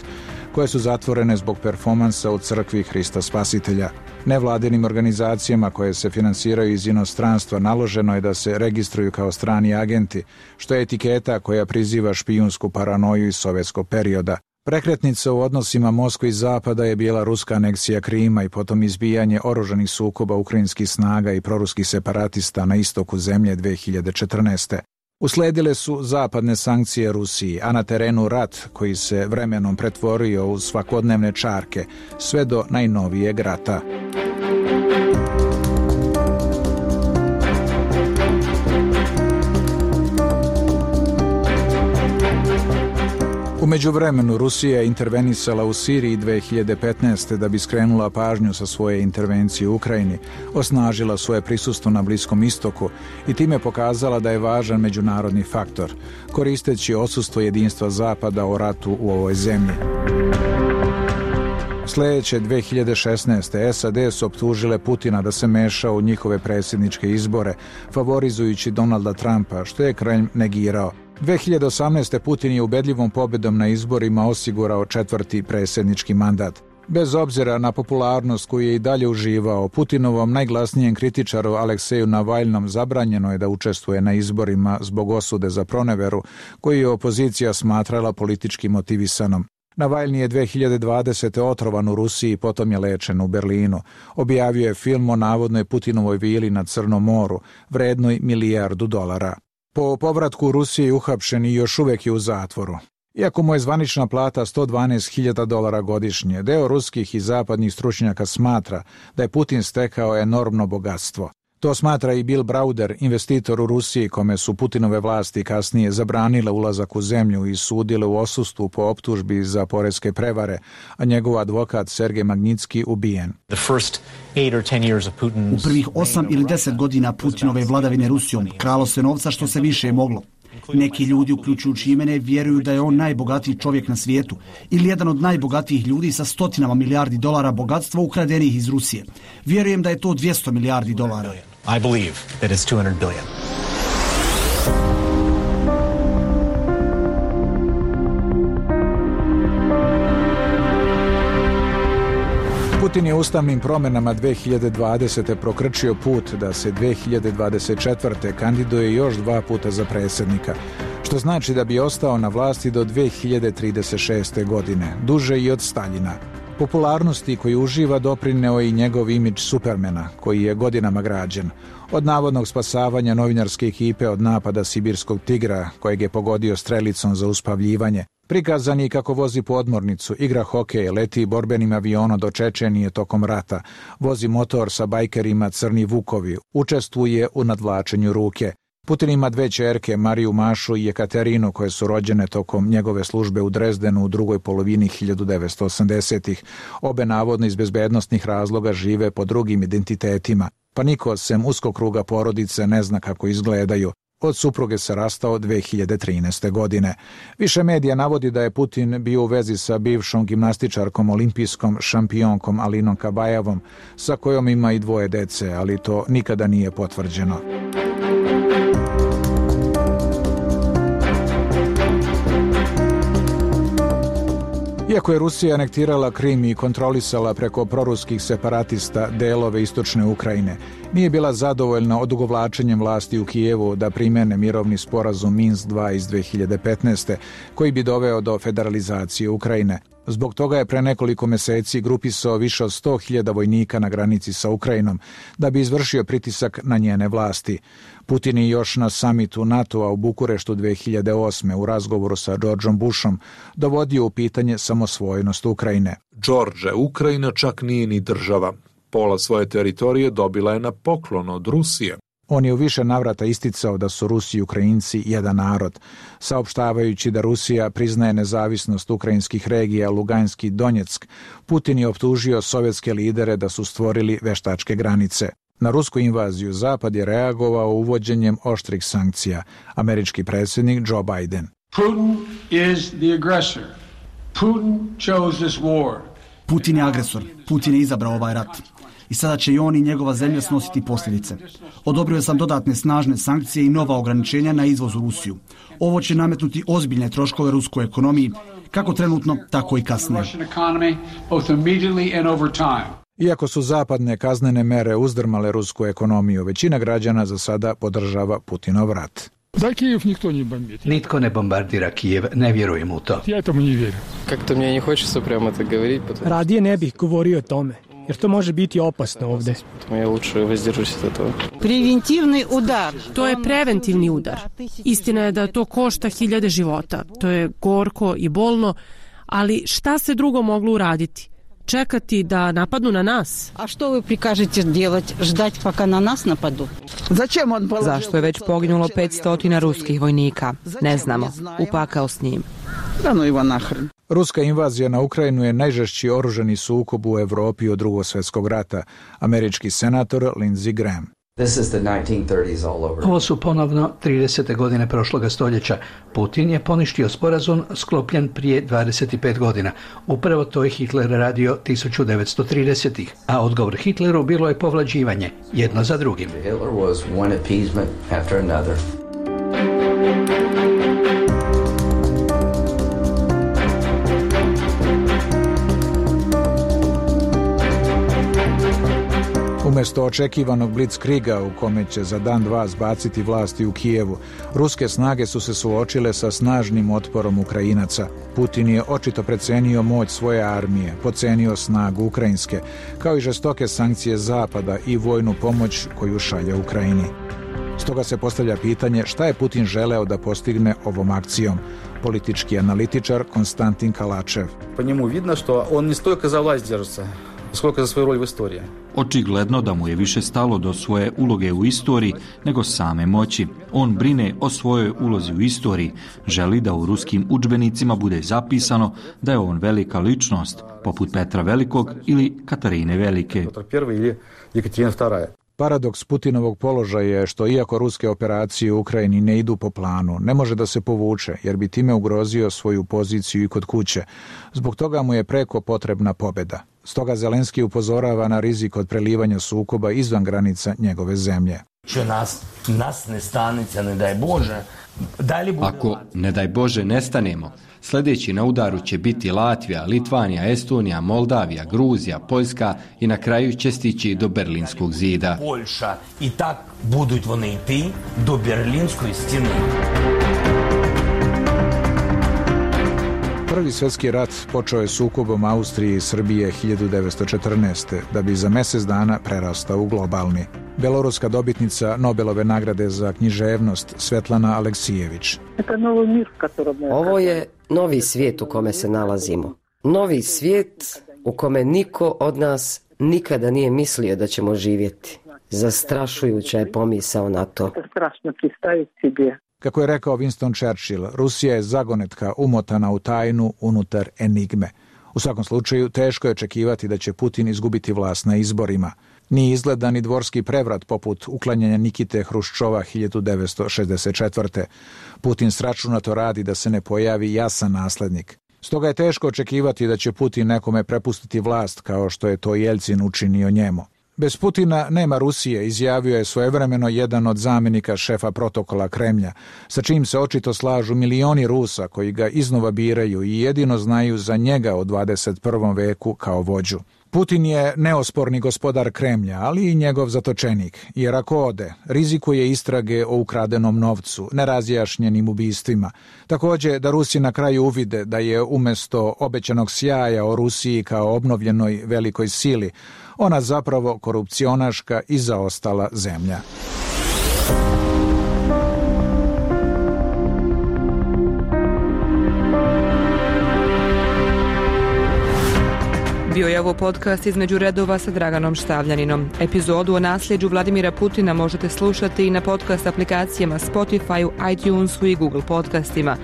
Speaker 22: koje su zatvorene zbog performansa u crkvi Hrista Spasitelja. Nevladinim organizacijama koje se finansiraju iz inostranstva naloženo je da se registruju kao strani agenti, što je etiketa koja priziva špijunsku paranoju iz sovjetskog perioda. Prekretnica u odnosima Moskve i Zapada je bila ruska aneksija Krima i potom izbijanje oružanih sukoba ukrajinskih snaga i proruskih separatista na istoku zemlje 2014. Usledile su zapadne sankcije Rusiji, a na terenu rat koji se vremenom pretvorio u svakodnevne čarke, sve do najnovijeg rata. U međuvremenu Rusija je intervenisala u Siriji 2015. da bi skrenula pažnju sa svoje intervencije u Ukrajini, osnažila svoje prisustvo na Bliskom istoku i time pokazala da je važan međunarodni faktor, koristeći odsustvo jedinstva Zapada o ratu u ovoj zemlji. Sljedeće 2016. SAD su optužile Putina da se meša u njihove predsjedničke izbore, favorizujući Donalda Trumpa, što je Kremlj negirao. 2018. Putin je ubedljivom pobjedom na izborima osigurao četvrti predsjednički mandat. Bez obzira na popularnost koju je i dalje uživao, Putinovom najglasnijem kritičaru Alekseju Navalnom zabranjeno je da učestvuje na izborima zbog osude za proneveru, koju je opozicija smatrala politički motivisanom. Navalni je 2020. otrovan u Rusiji i potom je lečen u Berlinu. Objavio je film o navodnoj Putinovoj vili na Crnom moru, vrednoj $1 milijardu. Po povratku u Rusiji uhapšen i još uvijek je u zatvoru. Iako mu je zvanična plata $112.000 godišnje, deo ruskih i zapadnih stručnjaka smatra da je Putin stekao enormno bogatstvo. To smatra i Bill Browder, investitor u Rusiji kome su Putinove vlasti kasnije zabranile ulazak u zemlju i sudile u odsustvu po optužbi za poreske prevare, a njegov advokat Sergej Magnitski ubijen.
Speaker 10: U prvih 8 ili 10 godina Putinove vladavine Rusijom kralo se novca što se više moglo. Neki ljudi, uključujući i mene, vjeruju da je on najbogatiji čovjek na svijetu ili jedan od najbogatijih ljudi sa $100 milijardi bogatstva ukradenih iz Rusije. Vjerujem da je to $200 milijardi.
Speaker 11: I believe that it's $200 billion.
Speaker 22: Putin je ustavnim promjenama 2020. prokrčio put da se 2024. kandiduje još 2 puta za predsjednika, što znači da bi ostao na vlasti do 2036. godine, duže i od Staljina. Popularnosti koju uživa doprineo i njegov imidž Supermana, koji je godinama građen. Od navodnog spasavanja novinarske ekipe od napada sibirskog tigra, kojeg je pogodio strelicom za uspavljivanje, prikazan je kako vozi podmornicu, igra hokej, leti borbenim avionom do Čečenije tokom rata, vozi motor sa bajkerima Crni Vukovi, učestvuje u nadvlačenju ruke. Putin ima 2 ćerke, Mariju Mašu i Jekaterinu, koje su rođene tokom njegove službe u Drezdenu u drugoj polovini 1980-ih. Obe navodno iz bezbednostnih razloga žive po drugim identitetima. pa niko sem uskog kruga porodice ne zna kako izgledaju. Od supruge se rastao 2013. godine. Više medija navodi da je Putin bio u vezi sa bivšom gimnastičarkom olimpijskom šampionkom Alinom Kabajevom, sa kojom ima i 2 dece, ali to nikada nije potvrđeno. Iako je Rusija anektirala Krim i kontrolisala preko proruskih separatista delove istočne Ukrajine, nije bila zadovoljna odugovlačenjem vlasti u Kijevu da primene mirovni sporazum Minsk 2 iz 2015. koji bi doveo do federalizacije Ukrajine. Zbog toga je pre nekoliko meseci grupisao više od 100.000 vojnika na granici sa Ukrajinom da bi izvršio pritisak na njene vlasti. Putin je još na samitu NATO-a u Bukureštu 2008. u razgovoru sa Georgeom Bushom dovodio u pitanje samosvojnost Ukrajine.
Speaker 21: George, Ukrajina čak nije ni država. Pola svoje teritorije dobila je na poklon od Rusije.
Speaker 22: On je u više navrata isticao da su Rusi i Ukrajinci jedan narod, saopštavajući da Rusija priznaje nezavisnost ukrajinskih regija Lugansk i Donjeck. Putin je optužio sovjetske lidere da su stvorili veštačke granice. Na rusku invaziju Zapad je reagovao uvođenjem oštrih sankcija. Američki predsjednik Joe Biden.
Speaker 15: Putin is the aggressor. Putin chose this war.
Speaker 10: Putin je agresor. Putin je izabrao ovaj rat. I sada će i on i njegova zemlja snositi posljedice. Odobrio sam dodatne snažne sankcije i nova ograničenja na izvoz u Rusiju. Ovo će nametnuti ozbiljne troškove ruskoj ekonomiji, kako trenutno, tako i kasnije.
Speaker 22: Iako su zapadne kaznene mere uzdrmale rusku ekonomiju, većina građana za sada podržava Putinov rat.
Speaker 16: Nitko ne bombardira Kijev, ne vjerujem u to.
Speaker 17: Kako mi ne hoće prema to govoriti.
Speaker 18: Radije ne bih govorio o tome, jer to može biti opasno ovdje.
Speaker 19: Preventivni udar.
Speaker 26: To je preventivni udar. Istina je da to košta 1000 života. To je gorko i bolno, ali šta se drugo moglo uraditi? Čekati da napadnu na nas?
Speaker 19: A što vi prikažete делать? Ždati paka na nas napadu?
Speaker 20: Zašto je već poginulo 500 ruskih vojnika? Ne znamo. Upakao s njim.
Speaker 22: Ruska invazija na Ukrajinu je najžešći oružani sukob u Evropi od Drugog svjetskog rata. Američki senator Lindsey Graham.
Speaker 16: Ovo su ponovno 30. godine prošloga stoljeća. Putin je poništio sporazum sklopljen prije 25 godina. Upravo to je Hitler radio 1930-ih. A odgovor Hitleru bilo je povlađivanje, jedno za drugim.
Speaker 22: Umjesto očekivanog blitzkriga u kome će za dan dva zbaciti vlasti u Kijevu, ruske snage su se suočile sa snažnim otporom Ukrajinaca. Putin je očito precenio moć svoje armije, pocenio snagu ukrajinske, kao i žestoke sankcije Zapada i vojnu pomoć koju šalje Ukrajini. Stoga se postavlja pitanje šta je Putin želeo da postigne ovom akcijom. Politički analitičar Konstantin Kalačev.
Speaker 27: Po njemu vidno što on ne stолько za vlast держится, сколько za svoju rol u istoriji.
Speaker 28: Očigledno da mu je više stalo do svoje uloge u istoriji nego same moći. On brine o svojoj ulozi u istoriji, želi da u ruskim udžbenicima bude zapisano da je on velika ličnost, poput Petra Velikog ili Katarine Velike.
Speaker 22: Paradoks Putinovog položaja je što iako ruske operacije u Ukrajini ne idu po planu, ne može da se povuče jer bi time ugrozio svoju poziciju i kod kuće. Zbog toga mu je preko potrebna pobjeda. Stoga Zelenski upozorava na rizik od prelivanja sukoba izvan granica njegove zemlje.
Speaker 29: Nas ne stanice, ne daj Bože.
Speaker 30: Ako, ne daj Bože, nestanemo, sljedeći na udaru će biti Latvija, Litvanija, Estonija, Moldavija, Gruzija, Poljska i na kraju će stići do Berlinskog zida.
Speaker 29: Poljša i tak buduć вони йти do Berlinskoj stjene.
Speaker 22: Prvi svjetski rat počeo je sukobom Austrije i Srbije 1914. da bi za mjesec dana prerastao u globalni. Beloruska dobitnica Nobelove nagrade za književnost Svetlana Aleksijević.
Speaker 1: Ovo je novi svijet u kome se nalazimo. Novi svijet u kome niko od nas nikada nije mislio da ćemo živjeti. Zastrašujuća je pomisao na to.
Speaker 22: Kako je rekao Winston Churchill, Rusija je zagonetka umotana u tajnu unutar enigme. U svakom slučaju, teško je očekivati da će Putin izgubiti vlast na izborima. Nije izgleda ni dvorski prevrat poput uklanjanja Nikite Hruščova 1964. Putin sračunato radi da se ne pojavi jasan naslednik. Stoga je teško očekivati da će Putin nekome prepustiti vlast kao što je to Jeljcin učinio njemu. Bez Putina nema Rusije, izjavio je svojevremeno jedan od zamjenika šefa protokola Kremlja, sa čim se očito slažu milioni Rusa koji ga iznova biraju i jedino znaju za njega u 21. veku kao vođu. Putin je neosporni gospodar Kremlja, ali i njegov zatočenik, jer ako ode, rizikuje istrage o ukradenom novcu, nerazjašnjenim ubistvima. Također da Rusi na kraju uvide da je umjesto obećanog sjaja o Rusiji kao obnovljenoj velikoj sili, ona zapravo korupcionaška i zaostala zemlja.
Speaker 20: Bio je ovo podcast Između redova sa Draganom Štavljaninom. Epizodu o nasljeđu Vladimira Putina možete slušati i na podcast aplikacijama Spotify, iTunesu i Google podcastima.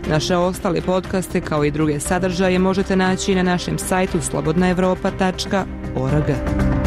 Speaker 20: Naše ostale podcaste kao i druge sadržaje možete naći na našem sajtu slobodnaevropa.org.